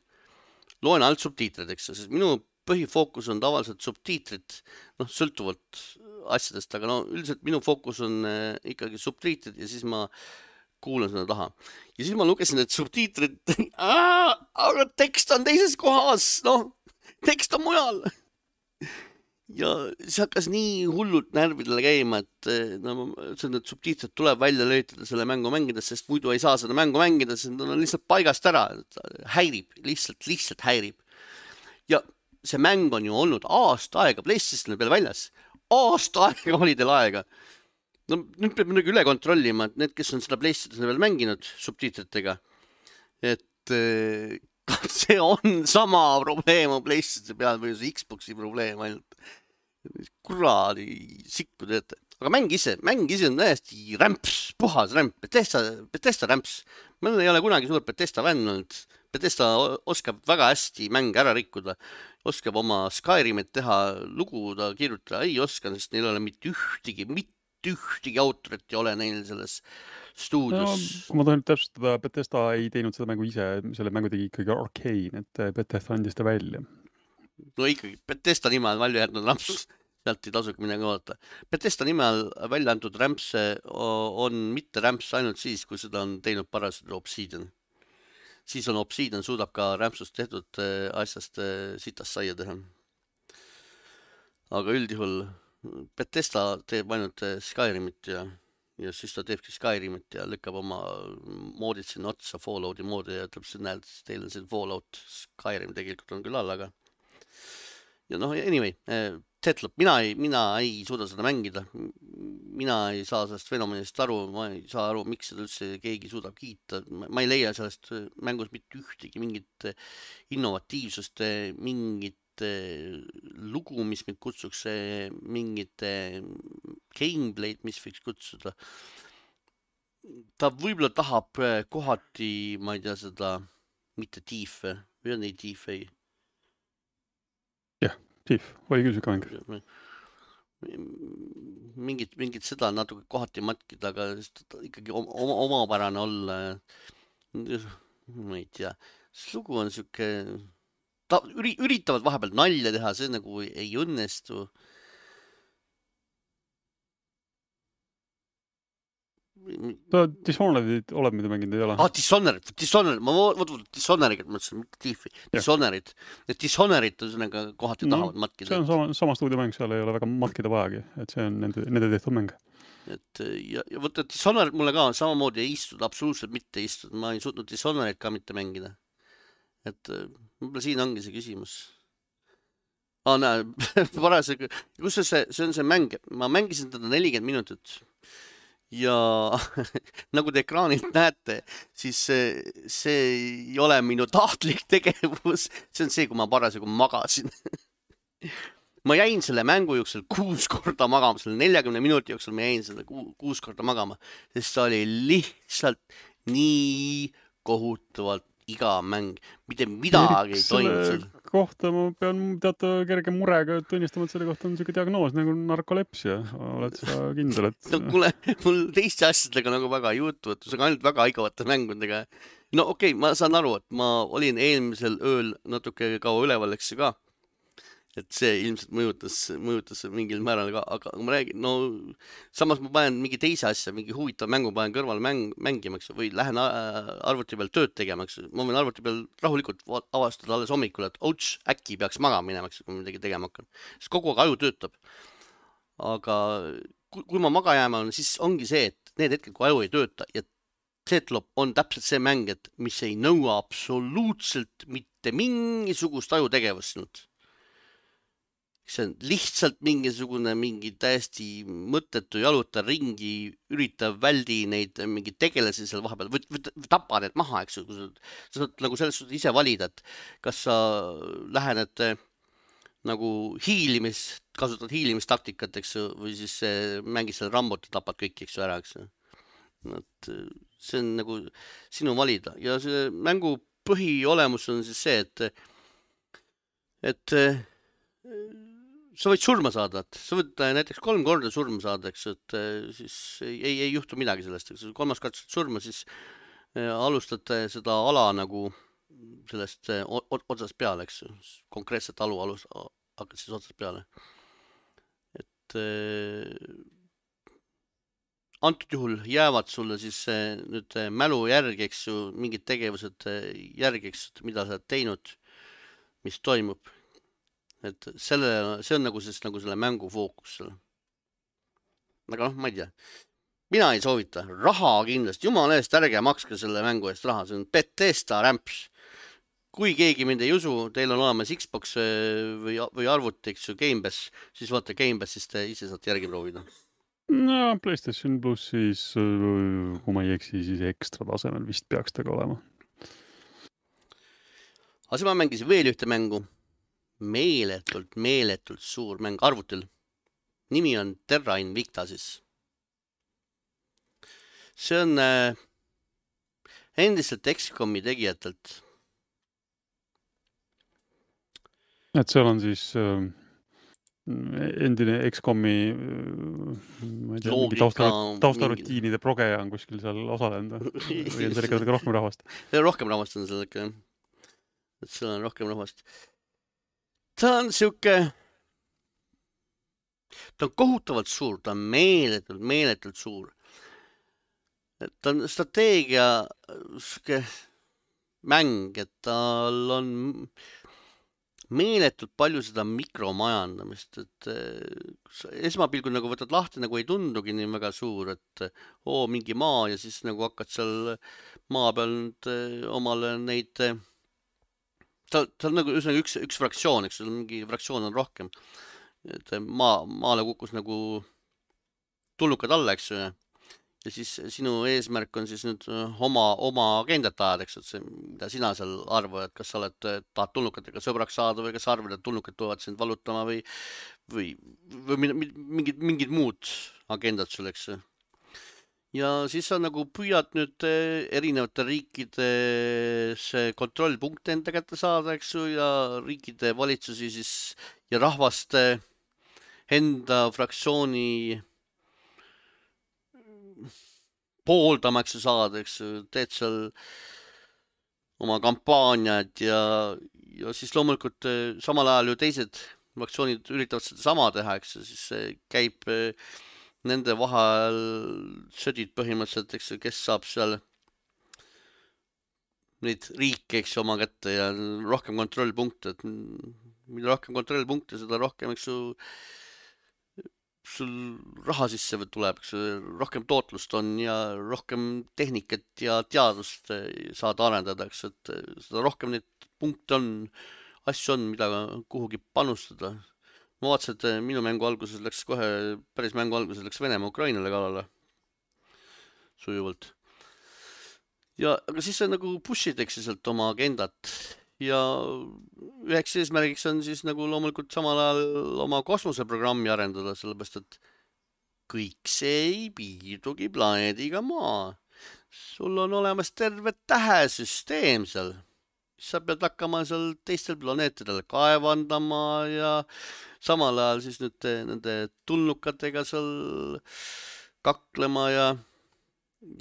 A: loen alt subtiitrid, eks, sest minu põhifookus on tavaliselt subtiitrid, noh, sõltuvalt asjadest, aga no üldiselt minu fookus on äh, ikkagi subtiitrid ja siis ma kuulan seda taha. Ja siis ma lugesin, et subtiitrid, aga tekst on teises kohas, noh, tekst on mujal. Ja see hakkas nii hullult närvidele käima, et no, need subtiitrid tuleb välja löytada selle mängu mängides, sest muidu ei saa seda mängu mängida, sest nad on lihtsalt paigast ära, häirib, lihtsalt, lihtsalt häirib. Ja see mäng on ju olnud aasta aega PlayStationi peal väljas. Aasta aega oli teil aega. No, nüüd peab midagi üle kontrollima, et need, kes on seda PlayStationi peal mänginud subtiitritega, et kas see on sama probleem on PlayStationi peal või see Xboxi probleem ainult. Kuradi sikku teete. Aga mäng ise, mäng ise on täiesti rämps, puhas rämp, Bethesda, Bethesda rämps. Meil ei ole kunagi suur Bethesda fänn olnud. Bethesda oskab väga hästi mänge ära rikkuda. Oskab oma Skyrimit teha, lugu ta kirjutada ei oska, sest neil ei ole mitte ühtegi, mitte ühtegi autorit ei ole neil selles stuudios
B: no,. Kui ma tahan täpsustada, Bethesda ei teinud seda mängu ise, selle mängu tegi ikkagi Arcane, et Bethesda andis ta välja.
A: No ikkagi, Bethesda nime all välja jätnud ramps, sealt ei tasugi midagi oodata. Bethesda nime all välja antud rämps on mitte rämps ainult siis, kui seda on teinud parasjagu Obsidian. Siis on Obsidian suudab ka rämpsust tehtud asjast sitast saia teha. Aga üldjuhul Bethesda teeb ainult Skyrimit ja, ja siis ta teebki Skyrimit ja lükkab oma moodid sinna otsa, Fallouti moodi ja ütleb, et näed, teil on see Fallout, Skyrim tegelikult on küll all, aga ja noh, anyway, Deathloop, mina ei, mina ei suuda seda mängida. Mina ei saa sellest fenomenist aru, ma ei saa aru, miks seda üldse keegi suudab kiita. Ma ei leia sellest mängus mitte ühtegi mingit innovatiivsust, mingit lugu, mis mind kutsuks, mingit gameplay'd, mis võiks kutsuda. Ta võib-olla tahab kohati, ma ei tea seda, mitte Thief, või on ei Thief, ei?
B: Jah, Thief, oli küll süka mäng.
A: Mingit, mingit seda natuke kohati matkida, aga ikkagi oma, omapärane olla. Ma ei tea, see lugu on süke, ta üritavad vahepeal nalja teha, see nagu ei õnnestu.
B: Ta Dishonored'id oled mida mänginud ei ole?
A: Ah, Dishonored, Dishonored, ma võtnud Dishonored'it, mõtlesin, mitte Thiefi, Dishonored. Dishonored on sellega kohati no, tahavad matkida.
B: See on sama, sama stuudiomäng, seal ei ole väga matkida vajagi, et see on nende, nende tehtud mäng.
A: Et, ja, ja võtta, Dishonored mulle ka samamoodi ei istuda, absoluutselt mitte istuda, ma ei suutnud Dishonored ka mitte mängida. Et võib-olla siin ongi see küsimus. Ah, näe, parasjagu, kus see, see on see mäng, ma mängisin teda nelikümmend minutit. Ja nagu te ekraanilt näete, siis see, see ei ole minu tahtlik tegevus. See on see, kui ma parasjagu magasin. Ma jäin selle mängu jooksul kuus korda magama, selle neljakümne minuti jooksul ma jäin selle kuus korda magama, sest see oli lihtsalt nii kohutavalt iga mäng, mitte midagi ei toimunud seal.
B: Kohta ma pean teata kerge murega tunnistama, et selle kohta on selline diagnoos nagu narkolepsia. Oled sa kindel, et...
A: No kuule, mul teiste asjadega nagu väga ei jutu, et see on ainult väga igavate mängudega. No okei, okay, ma saan aru, et ma olin eelmisel ööl natuke kaua üleval, eks ka. Et see ilmselt mõjutas, mõjutas mingil määral ka, aga ma räägin, no samas ma panen mingi teise asja, mingi huvitav mängu panen kõrval mäng, mängimaks või lähen arvuti peal tööd tegemaks. Ma võin arvuti peal rahulikult avastada alles hommikul, et ouch, äkki peaks magama minemaks, kui midagi tegema hakkan. Sest kogu aeg aju töötab. Aga kui, kui ma maga jääma on, siis ongi see, et need hetked, kui aju ei tööta ja Deathloop on täpselt see mäng, et mis ei nõua absoluutselt mitte mingisugust aju tegevust sinult. See on lihtsalt mingisugune mingi täiesti mõttetu jaluta ringi, üritab väldi neid mingi tegelasi seal vahepeal, või, või tapa need maha, eks ju, kui sa, sa saad nagu selles suhtes ise valida, et kas sa lähened nagu hiilimis, kasutad hiilimistaktikat, eks ju, või siis mängid selle rambot ja tapad kõik, eks ju, ära, eks ju. Et see on nagu sinu valida ja see mängu põhiolemus on siis see, et et sa võid surma saada, et sa võid näiteks kolm korda surma saada, eks, et siis ei, ei juhtu midagi sellest, eks kolmas kord surma, siis alustad seda ala nagu sellest otsast peale, eks, konkreetselt alu alus, hakkad siis otsast peale. Et antud juhul jäävad sulle siis nüüd mälu järgi, eks ju, mingid tegevused järgi, eks, mida sa oled teinud, mis toimub. Et selle, see on nagu, siis, nagu selle mängu fookus. Aga noh, ma ei tea. Mina ei soovita. Raha kindlasti. Jumala eest ärge makske selle mängu eest raha. See on Bethesda rämps. Kui keegi mind ei usu, teil on olemas Xbox või, või arvuti, eks ju, Game Pass, siis vaata Game Pass, siis te ise saate järgi proovida.
B: No, PlayStation Plus siis, kui ma ei eksi, siis ekstra tasemel vist peaks taga olema.
A: Aga siis ma mängisin veel ühte mängu. Meeletult, meeletult suur mäng arvutil. Nimi on Terra Invicta siis. See on äh, endiselt X COM-i tegijatelt.
B: Et seal on siis äh, endine X-komi ma ei tea, mingi
A: loogika
B: taustarut-
A: mingi...
B: taustarutiinide progeja on kuskil seal osalenud või on seal ikka natuke rohkem rahvast?
A: rohkem rahvast on seal ikka, et seal on rohkem rahvast. ta on siuke, ta on kohutavalt suur, ta on meeletult, meeletult suur. ta on strateegia siuke mäng, et tal on meeletult palju seda mikromajandamist, et esmapilgul nagu võtad lahti, nagu ei tundugi nii väga suur, et oo, mingi maa ja siis nagu hakkad seal maa peal nüüd omale neid, ta, ta on nagu üsnagi üks, üks fraktsioon, eks sul mingi fraktsioon on rohkem, et maa, maale kukkus nagu tulnukad alla, eks ju, ja siis sinu eesmärk on siis nüüd oma, oma agendat ajada, eks, et see, mida sina seal arvad, kas sa oled, tahad tulnukatega sõbraks saada või kas arvad, et tulnukad tulevad sind valutama või, või, või mingid, mingid muud agendad sul, eks. ja siis sa nagu püüad nüüd erinevate riikides kontrollpunkte enda kätte saada, eks ju, ja riikide valitsusi siis ja rahvaste enda fraktsiooni pooldamaks saada, eks ju, teed seal oma kampaaniad ja, ja siis loomulikult samal ajal ju teised fraktsioonid üritavad seda sama teha, eks ju, siis käib nende vahel sõdid põhimõtteliselt, eks ju, kes saab seal neid riike, eks ju, oma kätte ja rohkem kontrollpunkte, et mida rohkem kontrollpunkte, seda rohkem, eks ju, sul raha sisse tuleb, eks rohkem tootlust on ja rohkem tehnikat ja teadust saad arendada, eks, et seda rohkem neid punkte on, asju on, mida kuhugi panustada. ma vaatasin, et minu mängu alguses läks kohe, päris mängu alguses läks Venemaa Ukrainale kallale sujuvalt. ja, aga siis sa nagu push'id, eks, sealt oma agendat ja üheks eesmärgiks on siis nagu loomulikult samal ajal oma kosmoseprogrammi arendada, sellepärast et kõik see ei piirdugi planeediga Maa. sul on olemas terve tähesüsteem seal. sa pead hakkama seal teistel planeetidel kaevandama ja samal ajal siis nüüd nende tulnukatega seal kaklema ja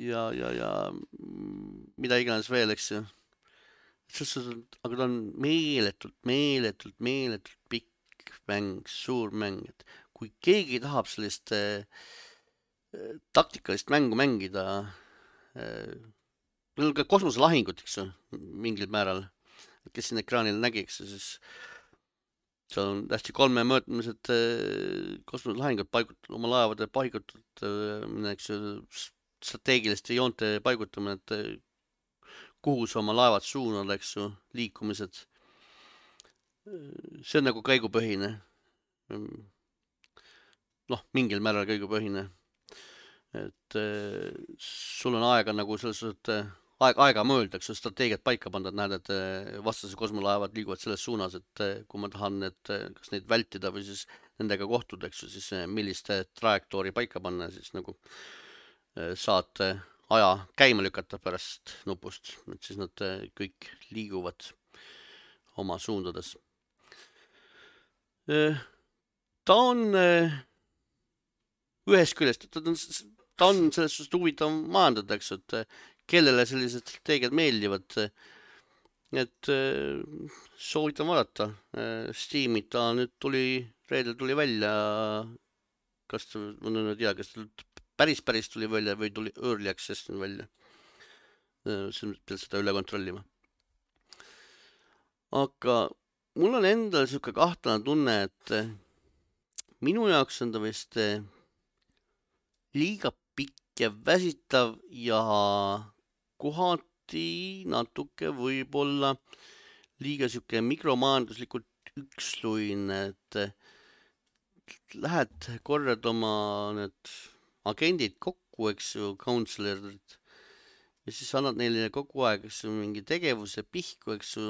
A: ja, ja, ja mida iganes veel, eks ju. aga ta on meeletult, meeletult, meeletult pikk mäng, suur mäng, et kui keegi tahab sellist äh, taktikalist mängu mängida äh,, meil on ka kosmoselahingut, eks ju, mingil määral, kes siin ekraanil nägi, eks ju, siis seal on hästi kolmemõõtmised äh, kosmoselahingud paigutud, oma laevade paigutud, äh, eks ju, strateegiliste joonte paigutamine, et kuhu sa oma laevad suunad, eks ju, liikumised. see on nagu käigupõhine. noh, mingil määral käigupõhine. et sul on aega nagu selles suhtes, aeg, aega mõelda, eks ju, strateegiat paika panna, et näed, et vastase kosmolaevad liiguvad selles suunas, et kui ma tahan need, kas neid vältida või siis nendega kohtuda, eks ju, siis millist trajektoori paika panna, siis nagu saad aja käima lükata pärast nupust, et siis nad kõik liiguvad oma suundades. ta on ühest küljest, ta on, ta on selles suhtes huvitav majandada, eks, et kellele sellised strateegiad meeldivad, et soovitan vaadata. Steam'i ta nüüd tuli, reedel tuli välja, kas ta, ma nüüd ei tea, kas ta päris päris tuli välja või tuli early access välja. See peab seda üle kontrollima. aga mul on endal siuke kahtlane tunne, et minu jaoks on ta vist liiga pikk ja väsitav ja kohati natuke võib-olla liiga siuke mikromajanduslikult üksluine, et lähed korrad oma need agendid kokku, eks ju, counselor'id, ja siis annad neile kogu aeg, eks ju, mingi tegevuse pihku, eks ju,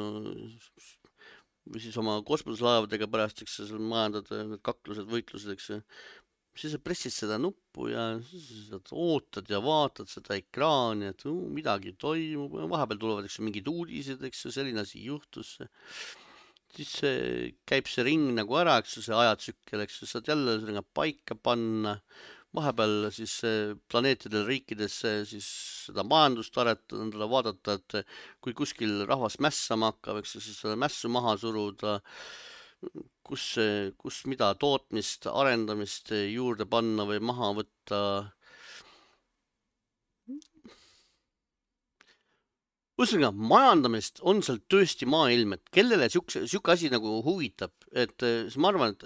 A: või siis oma kosmoselaevadega pärast, eks ju, majandad need kaklused, võitlused, eks ju, siis sa pressid seda nuppu ja siis sa ootad ja vaatad seda ekraani, et uh, midagi toimub, vahepeal tulevad, eks ju, mingid uudised, eks ju, selline asi juhtus. siis see, käib see ring nagu ära, eks ju, see ajatsükkel, eks ju, saad jälle sinna paika panna, vahepeal siis eh, planeetidel riikides eh, siis seda majandust aretada, vaadata, et kui kuskil rahvas mässama hakkab, eks ju, siis seda mässu maha suruda, kus, kus mida tootmist, arendamist juurde panna või maha võtta. Ühesõnaga, majandamist on seal tõesti maailm, et kellele siukse, siuke asi nagu huvitab, et eh, siis ma arvan, et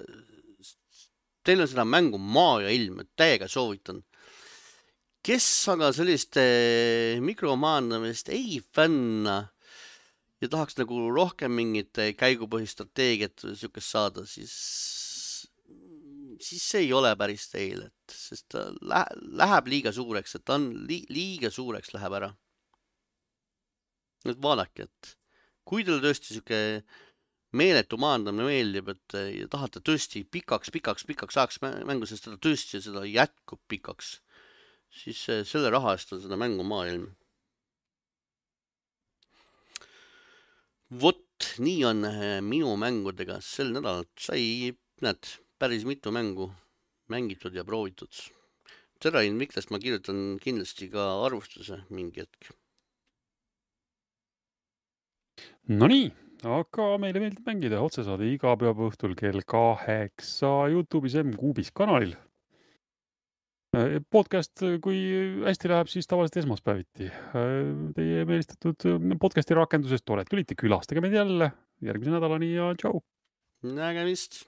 A: teil on seda mängu Maa ja ilm, et täiega soovitan. Kes aga sellist eh, mikromajandamist ei fänna ja tahaks nagu rohkem mingit eh, käigupõhist strateegiat või siukest saada, siis, siis see ei ole päris teil, et sest ta lä- läheb liiga suureks, et ta on li- liiga suureks läheb ära. Nüüd vaadake, et kui teile tõesti siuke meeletu majandamine meeldib, et eh, ja tahate tõesti pikaks, pikaks, pikaks ajaks mä- mängu, sest seda tõesti seda jätkub pikaks, siis eh, selle raha eest on seda mängu maailm. Vot, nii on eh, minu mängudega sel nädalal. Sai, näed, päris mitu mängu mängitud ja proovitud. Terrain Miklast ma kirjutan kindlasti ka arvustuse mingi hetk.
B: No nii, aga meile meeldib mängida otsesaade iga pühapäeva õhtul kell kaheksa YouTube'is M-Kuubis kanalil. Eh, Podcast, kui hästi läheb, siis tavaliselt esmaspäeviti. Eh, Teie meelistatud eh, podcasti rakendusest olete, olite külastage meid jälle järgmise nädalani ja tšau!
A: Nägemist!